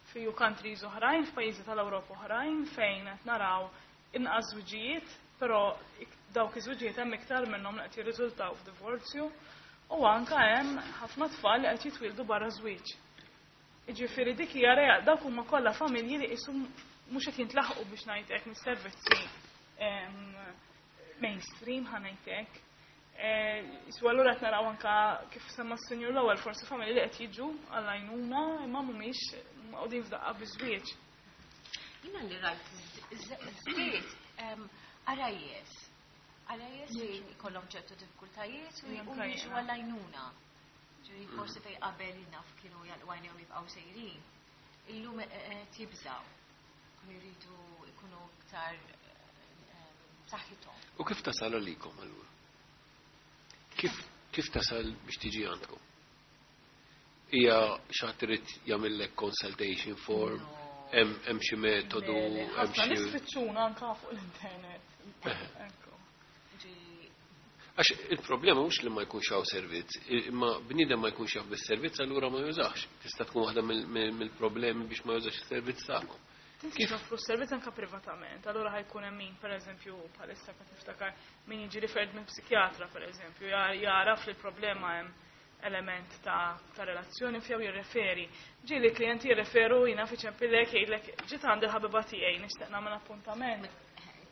fi countries oħrajn, f'pajjiżi tal-Ewropa oħrajn fejn qed naraw inqas żwiġijiet, però dawk iż-żwiġijiet hemm iktar minnhom li qed jirriżultaw f'divorzju u anke hemm ħafna tfal li qed jitwieldu barra żwieġ. Jiġifieri dik hija real, dawk huma kollha familji li qisu mhux qed jintlaħqu biex ngħid hekk mis-servizzi mainstream ħa ngħid hekk. Isu allura qed naraw anke kif semma s-sinjur l-ewwel forsi familji li qed jiġu għall-għajnuna imma mhumiex maqgħudin f'daqqa biż-żwieġ. Jiena li rajt żdied għarajjes. Għarajjes li jkollhom ċertu diffikultajiet u jiġu għall-għajnuna. Ġifieri forsi fejn qabel naf kienu għajnejhom jibqgħu sejrin. Illum qed jibżgħu. Kienu jridu jkunu iktar b'saħħithom. U kif tasal għalikom allura? Kif kif tasal biex tiġi għandkom? Hija xi ħadd irid jagħmellek consultation form, hemm xi metodu, hemm xi nies fittxuna anke fuq l-internet. Għax il-problema mhux li ma jkunx hawn servizz, imma bniedem ma jkunx jaf bis-servizz allura ma jużax. Tista' tkun waħda mill-problemi biex ma jużax is-servizz tagħkom. Kif joffru s-servizz anke privatament, allura ħajkun hemm min pereżempju bħalissa qed niftakar min jiġi referred minn psikjatra pereżempju, jaraf li l-problema hemm element ta' ta' relazzjoni fjew jirreferi. Ġieli klijenti jirreferu jiena fi ċempillek jgħidlek ġiet għandi l-ħabiba tiegħi nixtieq nagħmel appuntament.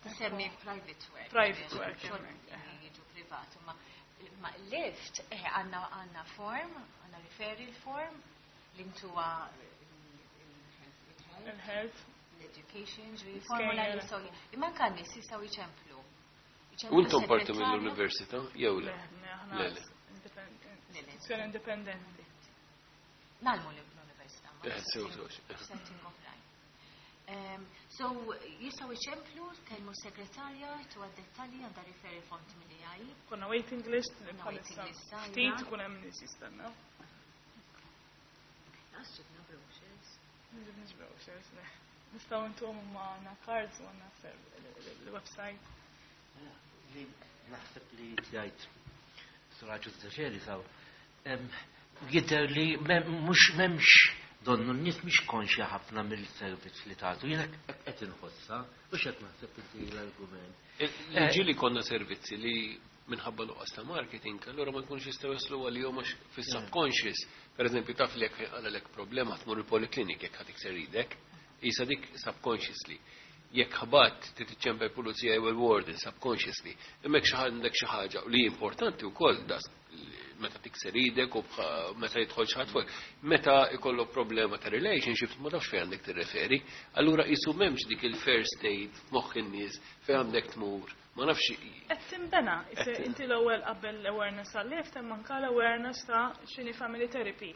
Tisemmi private work. Private work. Jiġu privat, ma lift għandna għandna form, għandna referral form li ntuha il-health, l-education, ġifieri formula li jistgħu imma anke n-nies jistgħu jċemplu. U intom parti mill-università jew le? Le, le. Istituzzjoni indipendenti. Nagħlmu l-università. Eh, sew sew. Setting oħrajn. So jistgħu jċemplu, kellmu segretarja, tu għad-dettalji għandha referi font mill-A I. Konna waiting list, bħalissa ftit ikun hemm nies jistennew. Lanqas ġibna brochures. Ma ġibniex brochures, le. Nistgħu ntuhom ma għandna cards u għandna l-website. Li naħseb li tgħid Suraġu Zaċeri saw. Jidher li mhux m'hemmx donnu n-nies mhix konxja ħafna mill-servizz li tagħtu. Jiena qed inħossha u x'qed naħseb inti l-argument. Li ġieli konna servizzi li minħabba nuqqas ta' marketing, allura ma jkunx jistgħu jaslu għalihom għax fis-subconscious. Per eżempju, taf li jekk għalek problema tmur il-poliklinik jekk ħa tikser idek, isa dik subconsciously. Jekk ħabat titiċċempel pulizija jew il-warden subconsciously, imma jekk xi għandek xi ħaġa li importanti wkoll das meta tikser idek u meta jidħol xi ħadd fuq. Meta ikollok problema ta' relationships ma tafx fejn għandek tirreferi, allura qisu m'hemmx dik il-first aid f'moħħ in-nies fejn għandek tmur. Ma nafx. Qed tinbena, inti l-ewwel qabel l-awareness għal-L I F T hemm anke l-awareness ta' x'inhi family therapy.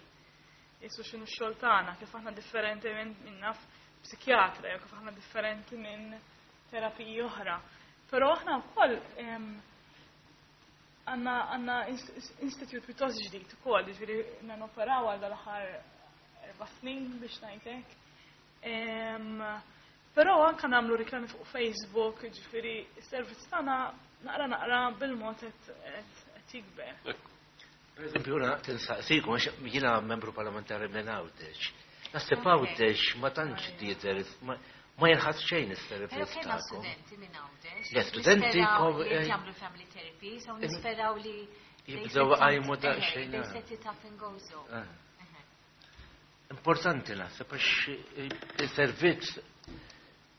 Isu x'inhu x-xogħol tagħna, kif aħna differenti minn min naf psikjatra, jew kif aħna differenti minn terapiji oħra. Però aħna wkoll għandna għandna institute pjuttost ġdid ukoll, jiġifieri noperaw għal dal-aħħar erba' snin biex ngħidlek. Però anka nagħmlu riklami fuq Facebook, ġifieri s-servizz tagħna naqra naqra bil-mod qed jikber. Per eżempju, jiena tinsaqsikom, għax jiena membru parlamentari minn Għawdex. Naħseb Għawdex ma tantx jidher, ma jinħass xejn is-servizz Però kellna tagħkom. studenti minn Għawdex. Le, studenti Nisperaw kom- li eh, jagħmlu family therapy, so nisperaw li they Jibdew set up- għajmu eh, daqsxejn, They ah. set it up in Gozo. Ah. Importanti naħseb għax il-servizz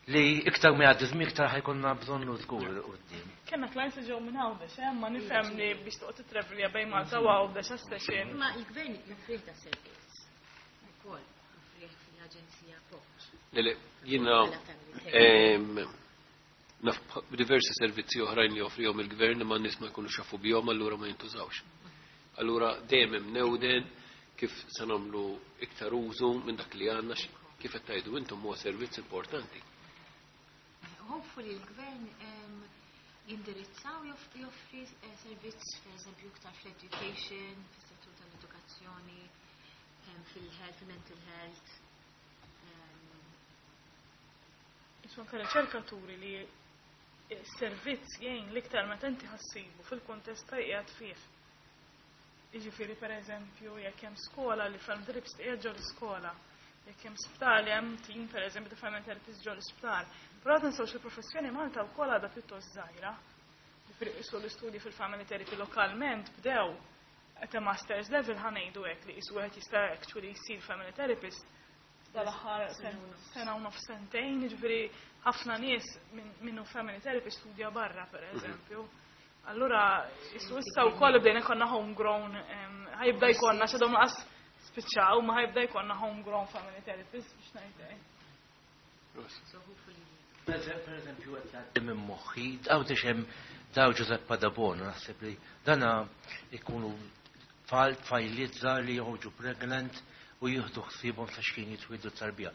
li iktar ma jgħaddi żmien iktar ħa jkollna bżonnu żgur quddiem. Kellna clients li ġew minn Għawdex, eh, ma nifhem li biex toqgħod titravelja bejn Malta u Għawdex għas-session. Ma il-gvern joffrih da servizz. Ukoll joffrih fil-aġenzija Appoġġ. Le, le, jiena Bħala family therapy. em, naf diversi servizzi oħrajn li joffrihom il-gvern imma n-nies ma jkunux jafu bihom, allura ma jintużawx. Allura dejjem hemm newden kif se nagħmlu iktar użu minn dak li għandna x- kif qed tgħidu intom huwa servizz importanti. Hopefully il-gvern em, jindirizzaw joff- joffri eh, servizz per eżempju iktar fl-education, fis-settur tal-edukazzjoni, em, fil-health, mental health. em, Isu anke riċerkaturi li s-servizz jgħin l-iktar meta inti ħassibu fil-kuntest ta' qiegħed fih. Jiġifieri per eżempju jekk hemm skola li family therapist qiegħed ġo l-iskola, jekk hemm sptar li hemm team per eżempju ta' family therapist ġo l-isptar. Però tinsewx il-professjoni Malta wkoll għadha pjuttost żgħira. Jiġifieri qisu l-istudji fil-family therapy lokalment bdew at a master's level, ħa ngħidu hekk, li qisu wieħed jista' actually jsir family therapist dal-aħħar sena u nofs, sentejn, ġifieri ħafna nies minnu family therapist studja barra, per eżempju. Allura, isu issa wkoll bdejna jkollna homegrown, ħa jibda jkollna, x'għadhom lanqas spiċċaw, ma ħa jibda jkollna homegrown family therapist biex ngħidlek. So hopefully Per eżempju, qed jgħaddi minn moħħi, Għawdex hemm daw Giuseppe Debono, naħseb li dana ikunu tfal tfajliet żgħar li joħorġu pregnant u jieħdu ħsiebhom sa x'kien jitwieldu tarbija.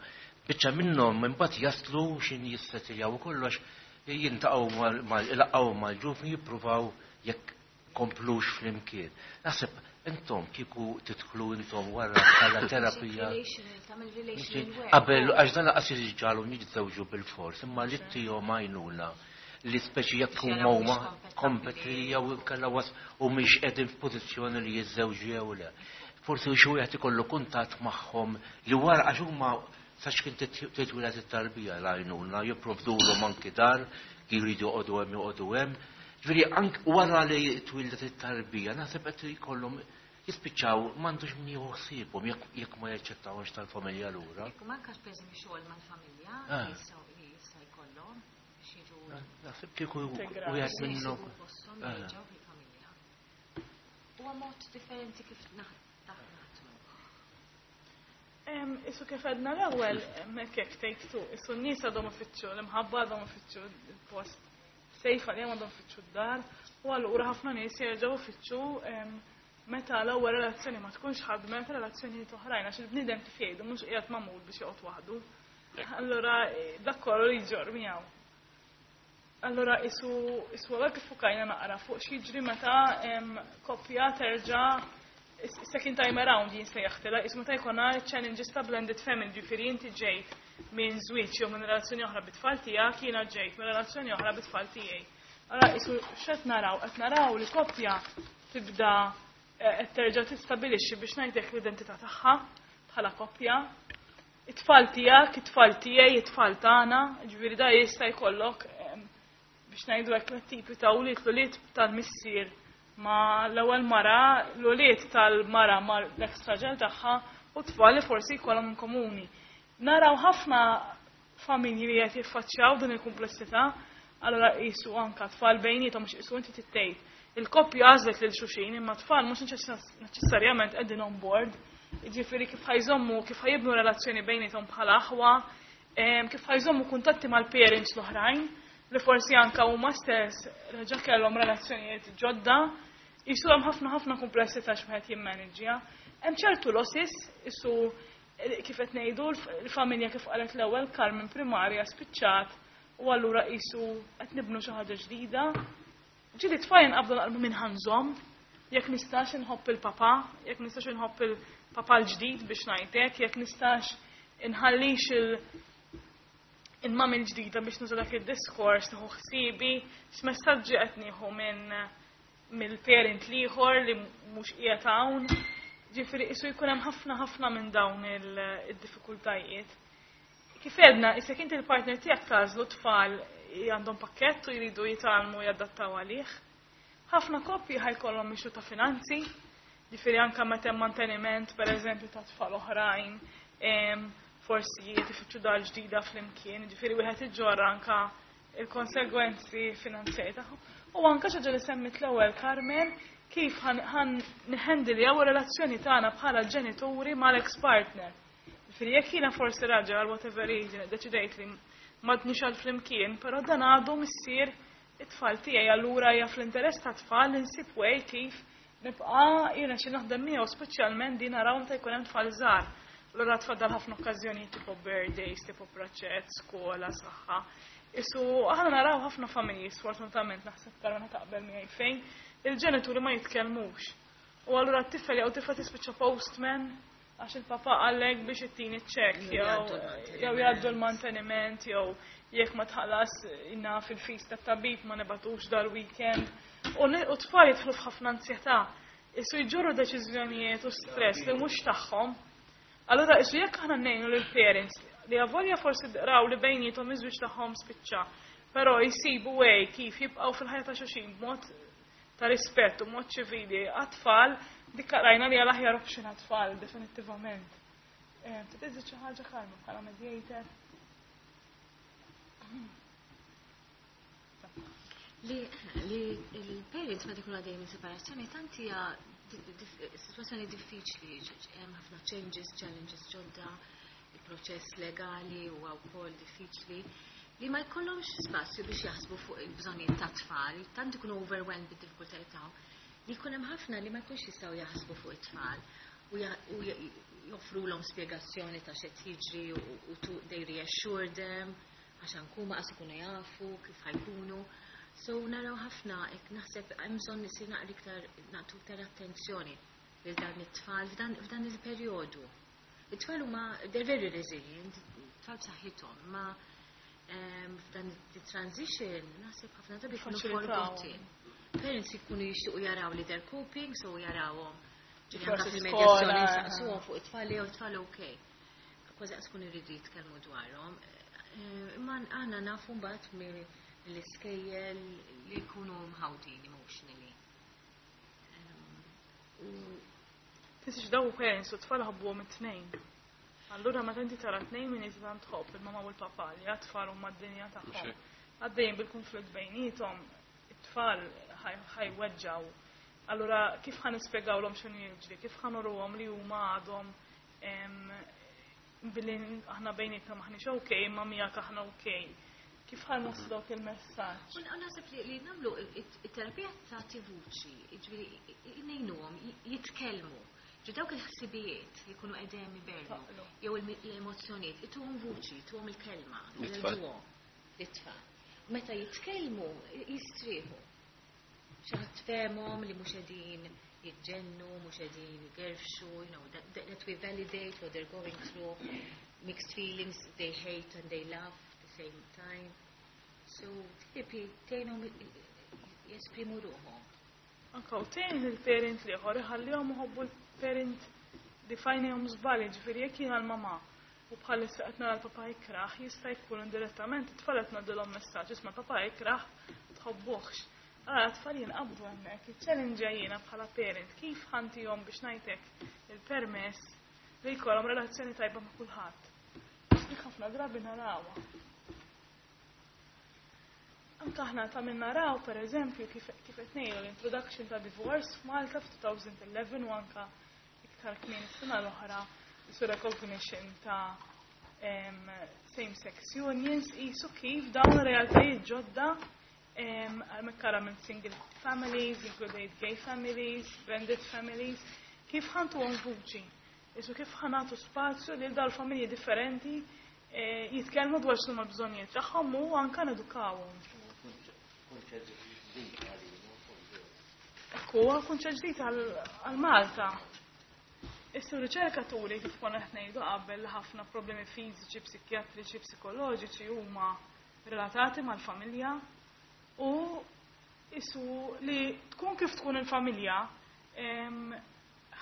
Biċċa minnhom imbagħad jaslu x'in jissettiljaw u kollox, jiltaqgħu mal mal-ġuvni, jippruvaw jekk komplux flimkien. Naħseb intom kieku tidħlu intom wara bħala terapija. Relational, tagħmel relational work. Qabel, għax dan lanqas jiġġagħlu jiġżewġu bil-fors, imma li ttihom għajnuna li speċi jekk huma huma kompetli jew inkella was u mhix qegħdin f'pożizzjoni li jiżżewġu jew le. Forsi xi wieħed ikollu kuntatt magħhom li wara għax huma sax kien titwieled it-tarbija l-għajnuna, jipprovdulhom anki dar, jridu joqogħdu hemm joqogħdu hemm. Ġifieri anke wara li twildet it-tarbija naħseb qed jkollhom jispiċċaw m'għandux min jieħu ħsiebhom jekk jekk ma jaċċettawhomx tal-familja lura. Jekk manka pereżempju xogħol mal-familja Ah. li jistgħu li jista' jkollhom biex jiġu Naħseb kieku Integrati. wieħed minnhom. jsibu posthom Ah. jerġgħu fil-familja. Huwa mod differenti kif naħ- naħdmu. Em, Isu kif għedna l-ewwel, hekk hekk take two, isu n-nies għadhom ifittxu l-imħabba, għadhom ifittxu il-post safe għalihom, għadhom ifittxu d-dar, u allura ħafna nies jerġgħu ifittxu em, meta l-ewwel relazzjoni ma tkunx ħadmet, relazzjonijiet oħrajn, għax il-bniedem kif jgħidu mhux qiegħed magħmul biex joqgħod waħdu. Allura eh, dak kollu li jġorr miegħu. Allura isu isu għalhekk iffukajna naqra fuq x'jiġri meta em, koppja terġa' Second time around jien sejjaħtilha, ismu ta' jkollna challenges ta' blended family, ġifieri inti ġejt minn żwieġ jew minn relazzjoni oħra bit-tfal tiegħek, jiena ġejt minn relazzjoni oħra bit-tfal tiegħi. Allora isu x'qed naraw? Qed naraw li koppja tibda eh, qed terġa' tistabilixxi biex ngħidlek l-identità tagħha bħala koppja. It-tfal tiegħek, it-tfal tiegħi, it-tfal tagħna, ġifieri da jista' jkollok biex ngħidu hekk tipi ta' ulied l-ulied tal-missier ma l-ewwel mara, l-ulied tal-mara ma l-ex raġel tagħha u tfal li forsi jkollhom in komuni. Naraw ħafna familji li qed jiffaċċjaw din il-kumplessità, allura qisu anka tfal bejniethom mhux qisu inti tittejt. Il-koppja għażlet lil xulxin imma tfal mhux neċessarjament qegħdin on board. Jiġifieri kif ħa jżommu, kif ħa jibnu relazzjoni bejniethom bħala aħwa, kif ħa jżommu kuntatti mal-parents l-oħrajn li forsi anka huma stess reġa' kellhom relazzjonijiet ġodda, jisu hemm ħafna ħafna kumplessità x'wieħed jimmanġja. Hemm ċertu losses, isu kif qed ngħidu l-familja kif qalet l-ewwel Carmen primarja spiċċat u allura qisu qed nibnu xi ħaġa ġdida. Ġieli tfal jinqabdu naqalbu minn ħa nżomm, jekk nistax inħobb il-papa, jekk nistax inħobb il-papa l-ġdid biex ngħidlek, jekk nistax inħallix il- il-mami l-ġdida biex nuża dak id-diskors, nieħu ħsiebi, x'messaġġi qed nieħu minn mill-parent l-ieħor li mhux qiegħed hawn. Ġifieri isu jkun hemm ħafna ħafna minn dawn il-diffikultajiet. Kif għedna, issa inti il-partner tiegħek tagħżlu tfal għandhom pakkett u jridu jitgħallmu jadattaw għalih. Ħafna koppji ħa jkollhom issue ta' finanzi, ġifieri anke meta hemm manteniment pereżempju ta' tfal oħrajn, forsi tifittxu dar ġdida flimkien, ġifieri wieħed iġorra anka il-konsegwenzi finanzjari tagħhom. U anka xi ħaġa li semmit l-ewwel Carmen, kif ħa nħendiljaw relazzjoni tagħna bħala ġenituri mal-ex partner. Ġifieri jekk jiena forsi raġel għal whatever reason deċidejt li m'għadniex għal flimkien, però dan għadu missier it-tfal tiegħi allura hija fl-interess ta' tfal li nsib way kif nibqa' jiena xi naħdem miegħu speċjalment din naraw meta jkun hemm tfal żgħar. Allura tfaddal ħafna okkażjonijiet tipo birthdays, tipo proċett, skola, saħħa. Isu aħna naraw ħafna familji, sfortunatament naħseb Karona taqbel miegħi fejn il-ġenituri ma jitkellmux. U allura t-tifel jew tifla tispiċċa postman għax il-papa għallek biex ittini ċek jew jgħaddu l-manteniment jew jekk ma tħallas inna fil-fees tat-tabib ma nibagħtux dal-weekend. U tfal jidħlu f'ħafna ansjetà. Isu jġorru deċiżjonijiet u stress li mhux tagħhom. Allura isu jekk aħna ngħinu lill-parents li avolja forsi raw li bejniethom iż-żwieġ tagħhom spiċċa, però jsibu way kif jibqgħu fil-ħajja ta' xulxin b'mod ta' rispett u mod ċivili għat-tfal, dik rajna li għal aħjar option għat-tfal, definitivament. Trid xi ħaġa Carmen bħala mediator? Li il-parents meta jkunu għaddejjin minn separazzjoni tant hija situazzjoni diffiċli, hemm ħafna changes, challenges ġodda, il-proċess legali huwa wkoll diffiċli li ma jkollhomx spazju biex jaħsbu fuq il-bżonnijiet ta' tfal, tant ikunu overwhelmed bid-diffikultajiet tagħhom, li jkun hemm ħafna li ma jkunx jistgħu jaħsbu fuq it-tfal u joffrulhom spjegazzjoni ta' x'qed jiġri u they reassure them għax ankuma qas ikunu jafu kif ħa jkunu. So naraw ħafna, naħseb hemm bżonn isir naqra iktar nagħtu iktar attenzjoni lil dan it-tfal f'dan il-perjodu. It-tfal huma they're very resilient, tfal b'saħħithom, ma f'dan it-transition naħseb ħafna drabi jkunu forgotten. Parents jkunu jixtiequ jaraw li they're coping, so jarawhom. Ġifieri anke fil-medjazzjoni nsaqsuhom fuq it-tfal jew it-tfal okay. Kważi qas ikunu jridu jitkellmu dwarhom. Imma aħna nafu mbagħad l-iskejjel li jkunu mħawdin emotionally. Tisix daw parents u tfal ħabbuhom it-tnejn. Allura meta inti tara tnejn minn inti tant tħobb il-mama u l-papa li għat-tfal huma d-dinja tagħhom. Għaddejjin bil-konflitt bejniethom, it-tfal ħa jweġġgħu. Allura kif ħa nispjegawlhom x'inhu jiġri, kif ħa nuruhom li huma għadhom billi aħna bejnietna maħniex okej, imma miegħek aħna okej. Kif ħa nwasslu dawk il-messaġġ? U naħseb li nagħmlu it-terapija tagħti vuċi, jiġifieri ngħinuhom jitkellmu. Ġi dawk il-ħsibijiet li jkunu qegħdin ibernu, jew l-emozzjonijiet, ituhom vuċi, ituhom il-kelma, l-itfal. Meta jitkellmu jistrieħu. Xi ħadd fehmhom li mhux qegħdin jiġġennu, mhux qegħdin jgerfxu, you know, that, that we validate what they're going through, mixed feelings, they hate and they love at the same time. So therapy tgħinhom jesprimu ruħhom. Anka u tgħin il-parent l-ieħor iħallihom iħobbu l-parent li f'għajnejhom żball, ġifieri jekk jiena l-mamà u bħalissa qed nara l-papa jikrah, jista' jkun indirettament it-tfal qed ngħaddilhom messaġġ isma' papa jikrah tħobbuhx. Ara t-tfal jinqabdu hemmhekk, iċ-challenge jiena bħala parent kif ħa ntihom biex ngħidlek il-permess li jkollhom relazzjoni tajba ma' kulħadd. Dik ħafna drabi narawha. Anka aħna ta' minn naraw, per eżempju, kif kif qed ngħidu l-introduction ta' divorce f'Malta f'elfejn u anka iktar kmieni s-sena l-oħra su recognition ta' em, same-sex unions qisu kif dawn realtajiet ġodda em, mekkara minn single families, included gay families, blended families, kif ħa ntuhom vuċi. Qisu kif ħa nagħtu spazju lil dawn familji differenti eh, jitkellmu dwar x'huma l-bżonnijiet tagħhom u anka nedukawhom. Kunċett ġdid għalina. Ekku, huwa kunċett ġdid għal Malta. Issa riċerka turi kif konna qed ngħidu qabel li ħafna problemi fiżiċi, psikjatriċi, psikoloġiċi huma relatati mal-familja u qisu li tkun kif tkun il-familja em,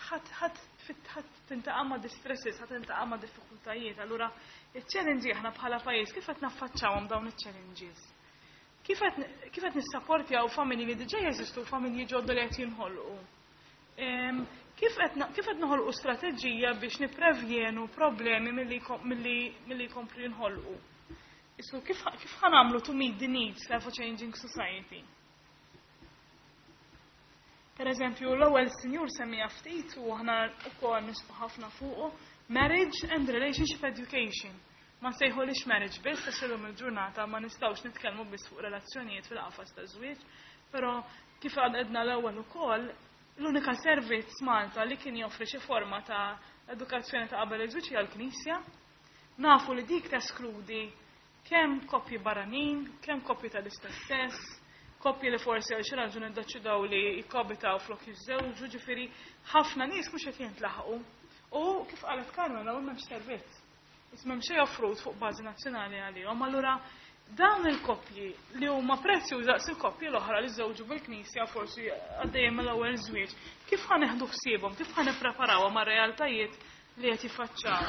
ħadd ħadd ħadd tintaqa' ma' distresses, ħadd tintaqa' ma' diffikultajiet. Allura iċ-challenge aħna bħala pajjiż kif qed naffaċċawhom dawn iċ-challenges? Kif qed kif qed nissapportjaw familji li diġà jeżistu familji ġodda li qed jinħolqu? Em, Kif qed na- kif qed noħolqu strateġija biex nipprevjenu problemi milli jkom- milli milli jkomplu jinħolqu? Qisu kif kif ħa nagħmlu to meet the needs of a changing society? Per eżempju, l-ewwel sinjur semmija ftit u aħna wkoll nisbu ħafna fuqu marriage and relationship education. Ma nsejħulix marriage biss, għax illum il-ġurnata ma nistgħux nitkellmu biss fuq relazzjonijiet fil-qafas ta' żwieġ, però kif għedna l-ewwel ukoll, l-unika servizz Malta li kien joffri xi forma ta' edukazzjoni ta' qabel iż-żwieġ hija l-Knisja. Nafu li dik teskludi kemm koppji barranin, kemm koppji tal-istess sess, koppji li forsi għal xi raġuni ddeċidew li jikkoabitaw flok jiżżewġu, ġifieri ħafna nies mhux qed jintlaħqu. U kif qalet Carmen, hawn m'hemmx servizz. Issa m'hemm xejn offrut fuq bażi nazzjonali għalihom. Allura dawn il-koppji li huma prezzjużi daqs il-koppji l-oħra li żewġu bil-Knisja forsi għaddejjem mill-ewwel żwieġ, kif ħa neħdu ħsiebhom, kif ħa nippreparawhom għar-realtajiet li qed jiffaċċaw.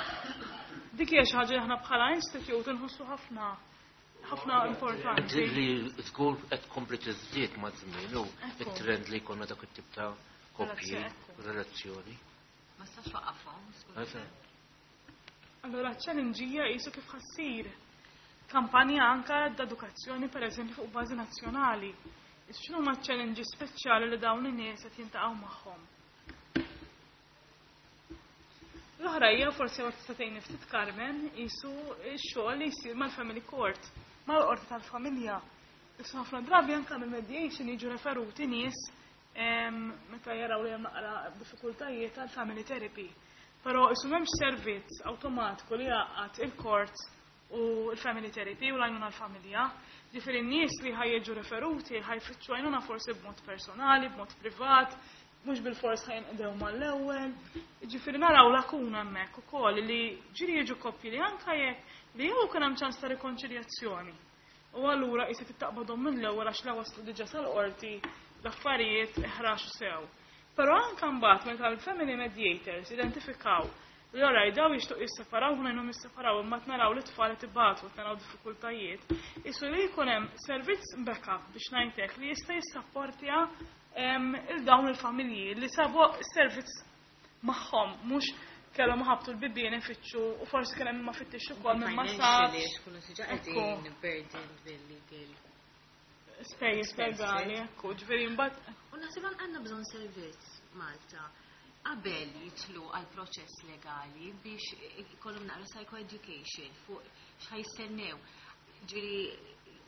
Dik hija xi ħaġa li aħna bħala institute nħossu ħafna ħafna importanti. Li żgur qed tkompli tiżdied maż-żmien u Ekku. it-trend li jkollna dak it-tip ta' koppji, Relazzjoni, relazzjoni. Ma stax waqafhom, skużi. Eżatt. Allora challenge hija qisu kif ħa ssir kampanja anka d-edukazzjoni per eżempju fuq bażi nazzjonali. Qisu x'inhu ma challenges speċjali li dawn in-nies qed jintaqgħu magħhom. L-oħra hija forsi għor tista' tgħinni ftit Carmen qisu x-xogħol li jsir mal-family court, mal-qorti tal-familja. Qisu ħafna drabi anka mill-mediation jiġu referuti nies em, meta jaraw li hemm naqra diffikultajiet tal-family therapy. Però qisu m'hemmx servizz awtomatiku li jgħaqqad il-court u l-family therapy u l-għajnuna l-familja. Ġifieri n-nies li ħa jiġu referuti ħa jfittxu għajnuna forsi b'mod personali, b'mod privat, mhux bil-fors ħa jinqdew mal-ewwel. Ġifieri naraw lakuna hemmhekk ukoll li ġieli jiġu koppji li anka jekk li jew kien hemm ċans ta' rikonċiljazzjoni. U allura qisek taqbadhom mill-ewwel għax la waslu diġà sal-qorti l-affarijiet iħraxu sew. Però anka mbagħad meta l-family mediators identifikaw li ora daw jixtuq jisseparaw, ħa ngħinuhom jisseparaw, imma naraw li tfal qed ibatu, naraw diffikultajiet, qisu li jkun hemm servizz backup biex ngħidlek li jista' jissapportja em, il dawn il-familji li sabu servizz magħhom, mhux kellhom ħabtu l-bibien ifittxu u forsi kien hemm ma fittix ukoll minn ma Financially, sabx. xkunu diġà Ekku. qegħdin burdened bil-legal. Spejjeż legali, ekku, ġifieri mbagħad U naħseb għandna bżonn servizz Malta qabel jitlu għal proċess legali biex ikollhom naqra psychoeducation fuq x'ħa jistennew. Ġifieri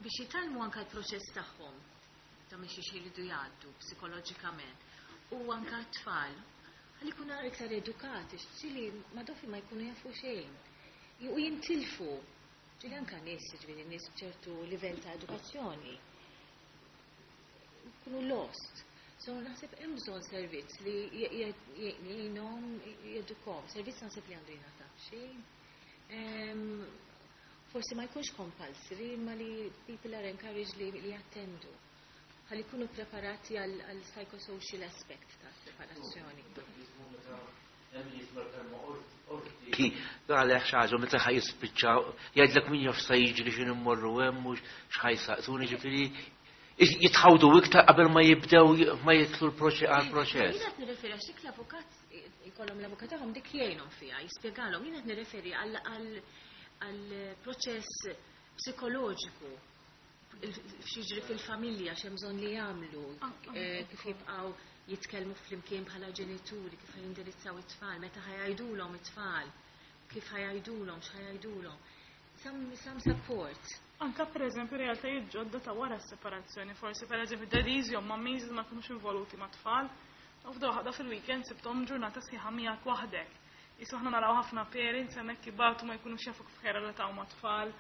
biex jitgħallmu anke l-proċess tagħhom ta' minn xiex jridu jgħaddu psikoloġikament u anke t-tfal ħalli jkunu naqra iktar edukati, ġieli ma dofi ma jkunu jafu xejn. U jintilfu. Ġieli anke nies, ġifieri nies b'ċertu livell ta' edukazzjoni. Jkunu lost. So naħseb hemm bżonn servizz li jgħinhom jedukhom, servizz naħseb li għandu jingħata xejn. Forsi ma jkunx compulsory, imma li people are encouraged li, li jattendu. Ħalli jkunu preparati għal psychosocial aspect ta' separazzjoni. Għalek xaġa, meta ħaj jispiċċa, jgħidlek min jaf sa jiġri x'in immorru hemm u x'ħaj saqsuni ġifieri jitħawdu iktar qabel ma jibdew ma jitlu l-proċess għall-proċess. Jien qed nirreferi għax dik l-avukat ikollhom l-avukat tagħhom dik jgħinhom fiha, jispjegalhom, jien qed nirreferi għal proċess psikoloġiku x'jiġri fil-familja, x'hemm bżonn li jagħmlu, kif jibqgħu jitkellmu flimkien bħala ġenituri, kif jindirizzaw it-tfal, meta ħajajdulhom it-tfal, kif ħajajdulhom, x'ħajajdulhom. Some, some support. Anka per eżempju realtajiet ġodda ta' wara s-separazzjoni, forsi per eżempju daddies jew mummies ma jkunux involuti ma' tfal, u f'daw ħadha fil-weekend sibthom ġurnata sħiħa miegħek waħdek. Isu aħna naraw ħafna parents hemmhekk ibatu ma jkunux jafu kif ħerelataw ma' tfal,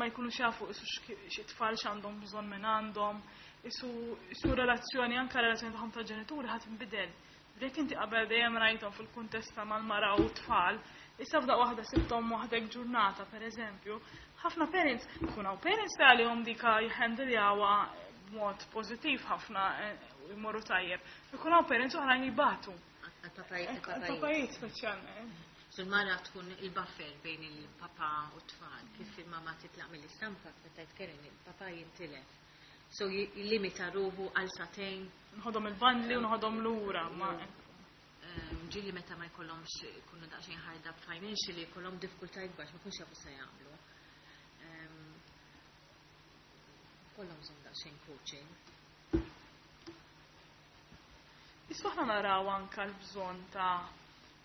ma jkunux jafu isu xi tfal x'għandhom bżonn minn għandhom, isu isu relazzjoni anka relazzjoni tagħhom ta' ġenituri ħadd inbidel. Jekk inti qabel dejjem rajthom fil-kuntest ta' mal-mara u tfal, issa f'daq waħda sibthom waħdek ġurnata pereżempju, ħafna parents kun hawn parents li għalihom dika jħendiljawha b'mod pożittiv ħafna jmorru tajjeb. Ikun hawn parents oħrajn jibatu. Għal-papajiet speċjalment. So l-mara tkun il-buffer bejn il-papa u t-tfal, kif il-mama titlaq mill-istampa, meta jitkellem il-papa jintilef. So jillimita ruħu għal satejn. Nħodhom il-bandli u nħodhom lura. Ġili meta ma jkollhomx ikunu daqsxejn hard up financially, jkollhom diffikultà ikbar, ma jkunx jafu se jagħmlu. Kollhom bżonn daqsxejn coaching. Issa aħna naraw anka l-bżonn ta'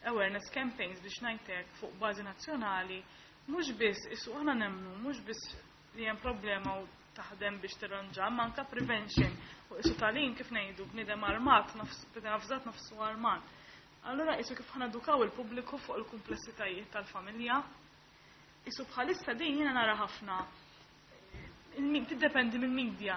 awareness campaigns biex ngħidlek fuq bażi nazzjonali, mhux biss isu aħna nemmnu, mhux biss li hemm problema u taħdem biex tirranġa, ma anka prevention u isu talin kif ngħidu bniedem armat, bniedem avżat nafsu armat. Allura isu kif ħanedukaw il-pubbliku fuq il-kumplessitajiet tal-familja. Isu bħalissa din jiena nara ħafna tiddependi mill-media.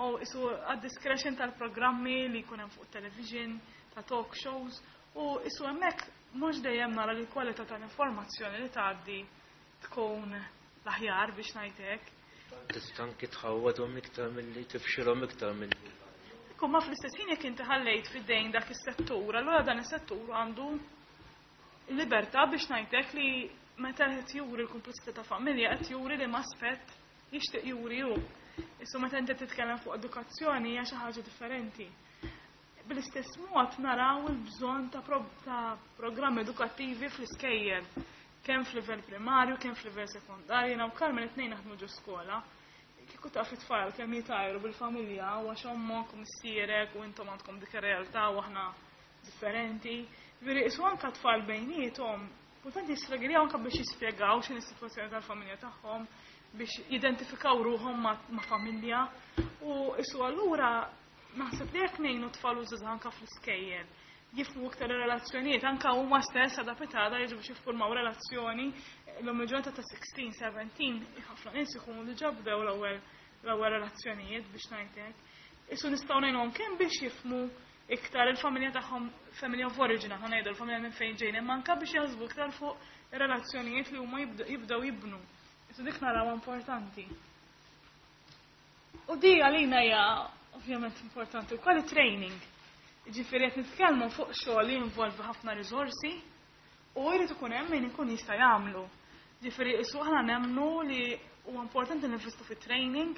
U isu għad-discretion tal-programmi li jkun hemm fuq television, ta' talk shows, u isu hemmhekk mhux dejjem nara li l-kwalità tal-informazzjoni li tgħaddi tkun l-aħjar biex ngħidlek. Tista' anki tħawwadhom iktar milli tifxilhom iktar milli. Ikun ma fl-istess ħin jekk inti ħallejt fid-dejn dak is-settur, allura dan is-settur għandu libertà biex ngħidlek li meta qed juri l-kumplessità ta' familja qed juri li aspett jixtieq juri hu. Issu meta inti titkellem fuq edukazzjoni hija xi ħaġa differenti. Bl-istess mod naraw il-bżonn ta', pro ta' programmi edukattivi fl-iskejjel, kemm f'livell primarju, kemm f'livell sekondarju, jiena u Carmen it-tnejn naħdmu ġo skola. Kieku taf it-tfal kemm jitajru bil-familja u għax ommok u missierek u intom għandkom dik ir-realtà u aħna differenti. Veri isu anka tfal bejniethom, kultant jistragiljaw anka biex jispjegaw x'inhi s-sitwazzjoni tal-familja tagħhom, biex jidentifikaw ruħhom ma', ma familja. U isu allura naħseb li jekk ngħinu tfal u żgħażagħ anka fl-iskejjel jifhmu iktar ir-relazzjonijiet, anka huma stess għada pitada jiġu biex jiffurmaw relazzjoni l-lum il-ġurnata ta' sixteen, seventeen, ħafna nies ikunu diġà bdew l-ewwel l-ewwel relazzjonijiet biex ngħidlek. Isu nistgħu ngħinhom kemm biex jifhmu iktar il-familja tagħhom, family of origin, aħna ngħidu l-familja minn fejn ġejna, imma anke biex jaħsbu iktar fuq ir-relazzjonijiet li huma jibdew jibnu. Isu dik narawha importanti. U di għalina hija ovvjament importanti wkoll it-training. Ġifieri qed nitkellmu fuq xogħol li jinvolvi ħafna riżorsi u jrid ikun hemm min ikun jista' jagħmlu. Ġifieri isu aħna nemmnu li huwa importanti ninvestu fit-training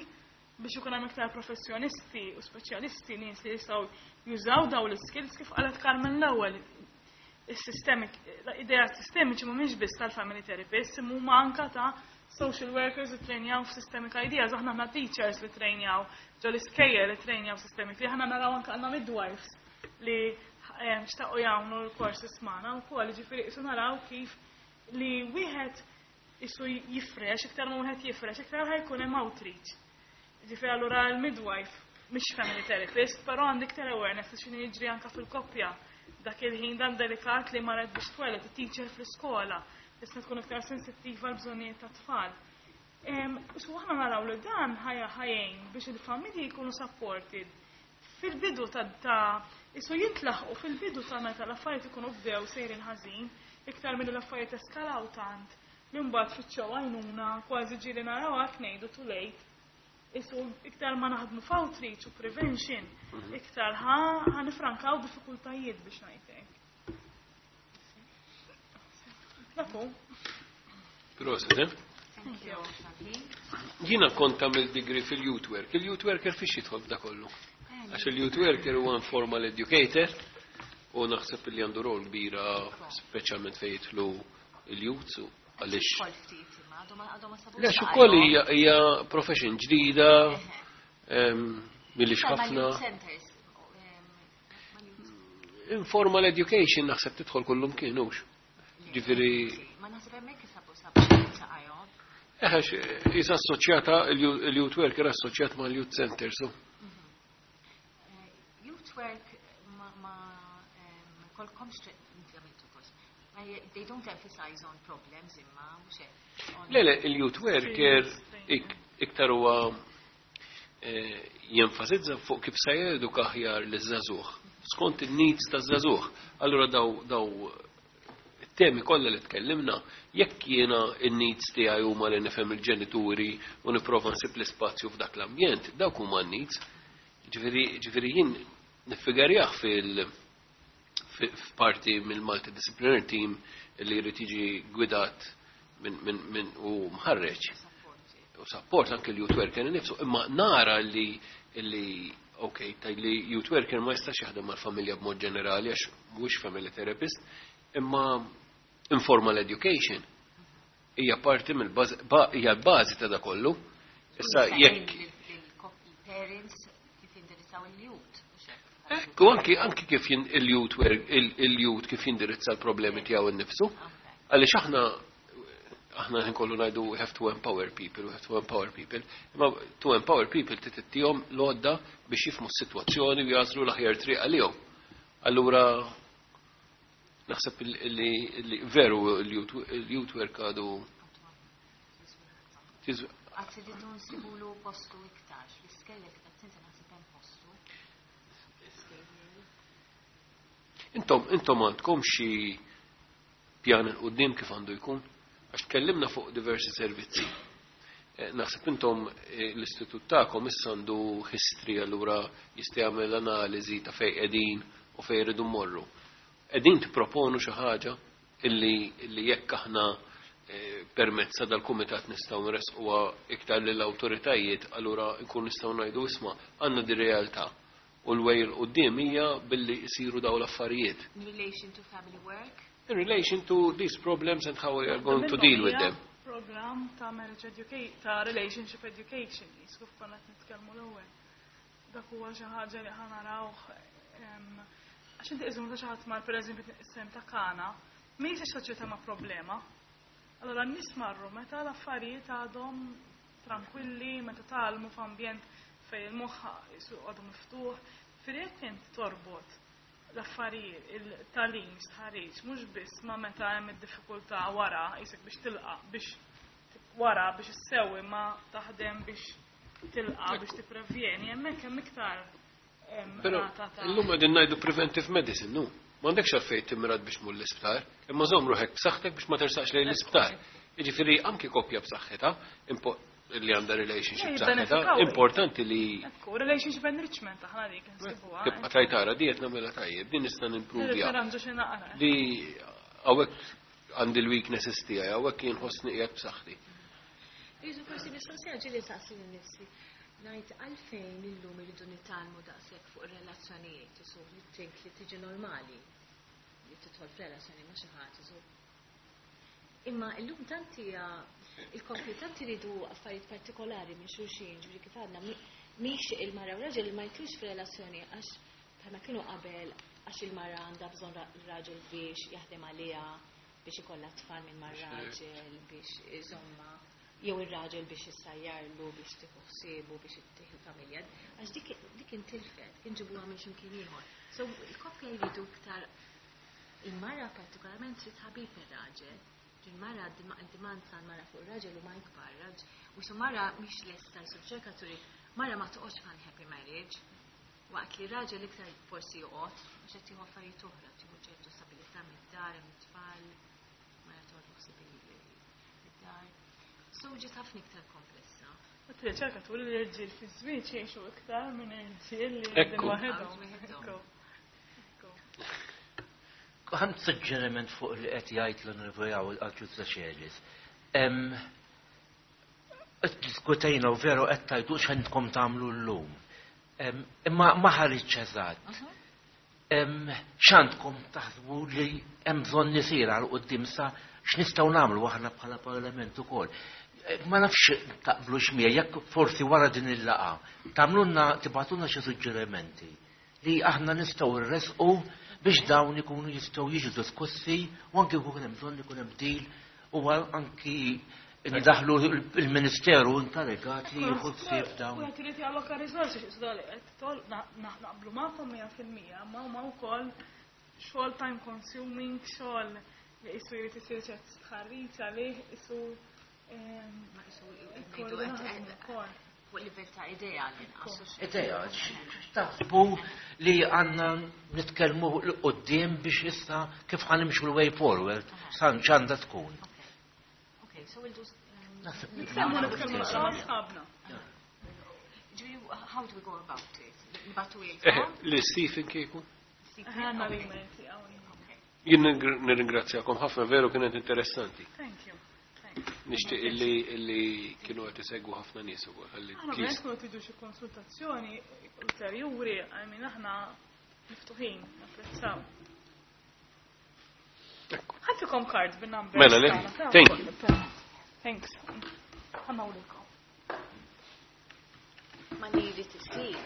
biex ikun hemm iktar professjonisti u speċjalisti nies li jistgħu jużaw dawn l-skills kif qalet Carmen l-ewwel. Is-sistemik, idea sistemiċi mhumiex biss tal-family therapist, imma huma anka ta' social workers li trejnjaw f'systemic ideas, aħna għandna teachers li trejnjaw, ġo l-iskejjel li trejnjaw systemic, li aħna naraw anka għandna midwives li xtaqu jagħmlu l-courses magħna wkoll, ġifieri isu naraw kif li wieħed isu jifrex, iktar ma wieħed jifrex, iktar ħajkun hemm outreach. Ġifieri allura l-midwife mhix family therapist, però għandek iktar awareness ta' x'inhu jiġri anka fil-koppja. Dak il-ħin dan delikat li marret biex tweled, it-teacher fl-iskola, tista' tkun iktar sensittiva għal bżonnijiet ta' tfal. Su aħna naraw li dan ħajjin biex il-familji jkunu supported Fil-bidu ta' ta' isu jintlaħqu fil-bidu ta' meta l-affarijiet ikunu bdew sejrin ħażin, iktar milli l-affarijiet eskalaw tant li mbagħad fittxew għajnuna kważi ġieli naraw hekk ngħidu too late. Isu iktar ma naħdmu f'outreach u prevention, iktar ħa ħa nifrankaw diffikultajiet biex ngħidlek. Dak hu. Prosit, eh? Thank you. Jiena kont għamil degree fil-youth work. Il-youth worker fiex jidħol f'da kollu? Għax il-youth worker huwa informal educator u naħseb li għandu rol kbira, speċjalment fejn jidħlu il-youths u għaliex. Kol ftit imma għadhom għadhom ma sabux. Le, ukoll hija hija profession ġdida, em, millix ħafna. Centers. Informal education naħseb tidħol kullum kienux. Ġifieri Ma naħseb hemmhekk isabu sabu saqajhom. Eħex, jisa assoċjata, il-youth worker assoċjat ma' l-youth center, so. Youth work ma ma em, kolkomx inti għamiltu forsi. Ma je- they don't emphasize on problems imma mhux hekk. On- Le, le, il-youth worker ik- iktar huwa eh, jenfasizza fuq kif se jeduka aħjar l-żagħżugħ, skont il-needs ta' żagħżugħ. Allura daw daw it-temi kollha li tkellimna, jekk jiena in-needs tiegħi huma li nifhem il-ġenituri u nipprova nsib l-ispazju f'dak l-ambjent, dawk huma n-needs. Ġifieri ġifieri jien niffigarjah fil fi- f'parti mill-multidisciplinary team li jrid jiġi gwidat minn min, min u mħarreġ u support anke l-youth worker nifsu, imma nara li li ok, taj li youth worker ma jistax jaħdem mal-familja b'mod ġenerali għax mhuwiex family therapist, imma informal education hija parti mill-bażi ba- hija l-bażi ta' da kollu. Issa jekk Il-parents kif jindirizzaw il-youth. Mhux hekk. Ekku, anki anki kif jin- il-youth work il- il-youth kif jindirizza l-problemi tiegħu innifsu. Għaliex aħna aħna nkollu ngħidu we have to empower people, we have to empower people. Imma to empower people titihom l-għodda biex jifhmu s-sitwazzjoni u jagħżlu l-aħjar triq għalihom. Allura naħseb li li veru il-youth work għadu tiż- Għad irridu nsibulu postu iktar. L-iskejjel kif qed inti naħseb hemm postu. L-iskejjel. Intom, intom għandkom xi pjan 'il quddiem kif għandu jkun? Għax tkellimna fuq diversi servizzi. Eh, Naħseb intom eh, l-istitut tagħkom issa għandu history, allura jista' jagħmel analiżi ta' fejn qegħdin u fejn iridu mmorru. Qegħdin tipproponu xi ħaġa illi illi jekk aħna eh, permezz ta' dal-kumitat nistgħu nresquha iktar lill-awtoritajiet, allura nkun nistgħu ngħidu, isma', għandna di realtà u l-way 'il quddiem hija billi jsiru daw l-affarijiet. In relation to family work. In relation to these problems and how we are going to deal with them. Program ta' marriage education, ta' relationship education, jisku konna qed nitkellmu l-ewwel. Dak huwa xi ħaġa li ħa narawh em, għax inti iżum ta' xi ħadd mar, pereżempju, is-sem ta' Kana, mhijiex soċjetà ma' problema. Allora n-nies marru meta l-affarijiet għadhom tranquilli, meta tgħallmu f'ambjent fejn il-moħħ jisu għadu miftuħ, fil int torbot l-affarijiet, il-tagħlim, stħarriġ, mhux biss ma meta hemm id-diffikultà wara, jisek biex tilqa, biex wara biex issewwi, ma taħdem biex tilqa, biex tipprevjeni, hemmhekk hemm iktar em, Pero rata ta' illum qegħdin ngħidu preventive medicine, nu. M'għandekx għalfejn timrad biex mur l-isptar, imma żomm ruħek b'saħħtek biex ma tersaqx lejn l-isptar. Jiġifieri anki koppja b'saħħitha, impo- li għandha relationship Eh, b'saħħitha, jibbenefikaw. importanti li Ekku, relationship enrichment aħna dik nsibuha. tibqa' tajtara di qed nagħmilha tajjeb, din nista' nimpruvja. Nirranġu xi naqra. Di hawnhekk għandi l-weaknesses tiegħi, hawnhekk jien ħossni qiegħed b'saħħti. Jiġu forsi mistoqsija ġieli saqsi lil nifsi. Ngħid għalfejn illum irridu nitgħallmu daqshekk fuq ir-relazzjonijiet, isu li tink li tiġi normali li tidħol f'relazzjoni ma' xi ħadd isu. Imma illum tant hija il-koppji tant iridu affarijiet partikolari minn xulxin, ġifieri kif għadna mi- mhix il-mara u raġel ma jitlux f'relazzjoni għax bħalma kienu qabel, għax il-mara għandha bżonn ra- raġel biex jaħdem għaliha, biex ikollha tfal minn mar-raġel, biex iżomma, jew ir-raġel biex issajjarlu, biex tieħu ħsiebu, biex ittieħu familja. Għax dik dik intilfet, kien ġibuha minn x'imkien ieħor. So il-koppja jridu iktar, il-mara partikolarment trid ħabib ir-raġel. Il-mara demand tal-mara fuq ir-raġel huma ikbar, raġ- u su mara mhix lesta jsu ċerkaturi, mara ma toqgħodx f'unhappy marriage. Waqt li raġel iktar forsi joqgħod għax qed jieħu affarijiet oħra, tieħu ċertu stabilità mid-dar, mit-tfal, ma jagħtu ħsieb id-dar. So ġiet ħafna iktar komplessa. U t-riċerka turi li l-irġiel fi żwieġ jgħixu iktar minn irġiel li qegħdin waħedhom. Ekku. Għand suġġeriment fuq li qed jgħid l-Onorevoli Agius Decelis. Diskutejna u veru qed tgħidu x'għandkom tagħmlu llum. Imma ma ħareġx eżatt. X'għandkom taħsbu li hemm bżonn isir għal quddiem sa x'nistgħu nagħmlu aħna bħala Parlament ukoll. Ma nafx taqblux miegħi jekk forsi wara din il-laqgħa tagħmlulna tibgħatulna xi suġġerimenti li aħna nistgħu nresqu biex dawn ikunu jistgħu jiġu diskussi u anki jkun hemm bżonn ikun hemm deal u anki ndaħlu il-Ministeru inkarigat li jieħu ħsieb dawn. U qed irid jalloka riżorsi x'isda li qed tol naqblu magħkom mija fil-mija, ma huma wkoll xogħol time consuming, xogħol li qisu jrid isir ċert stħarriġ għalih qisu Ma qisu ngħidu qed fuq livell ta' idea l-inqas. Idea, x'taħsbu li għandna nitkellmu 'l quddiem biex issa kif ħa nimxu l-way forward, san x'għandha tkun. Okay, so we'll do Nitkellmu nitkellmu naqra ma' sħabna. How do we go about it? Nibagħtu Li Stephen kieku? Għandna l-email tiegħu. Jien nirringrazzjakom ħafna, veru kienet interessanti. Thank you. Nixtieq illi illi kienu qed isegwu ħafna nies ukoll. Ħalli Aħna please. ovvjament kunu tridu xi konsultazzjoni ulterjuri, I mean aħna miftuħin, napprezzaw. Ħa ntikom card bin-number. Mela, le? Thank you. Thanks. Ħa nagħmlukom. Ma li jrid isir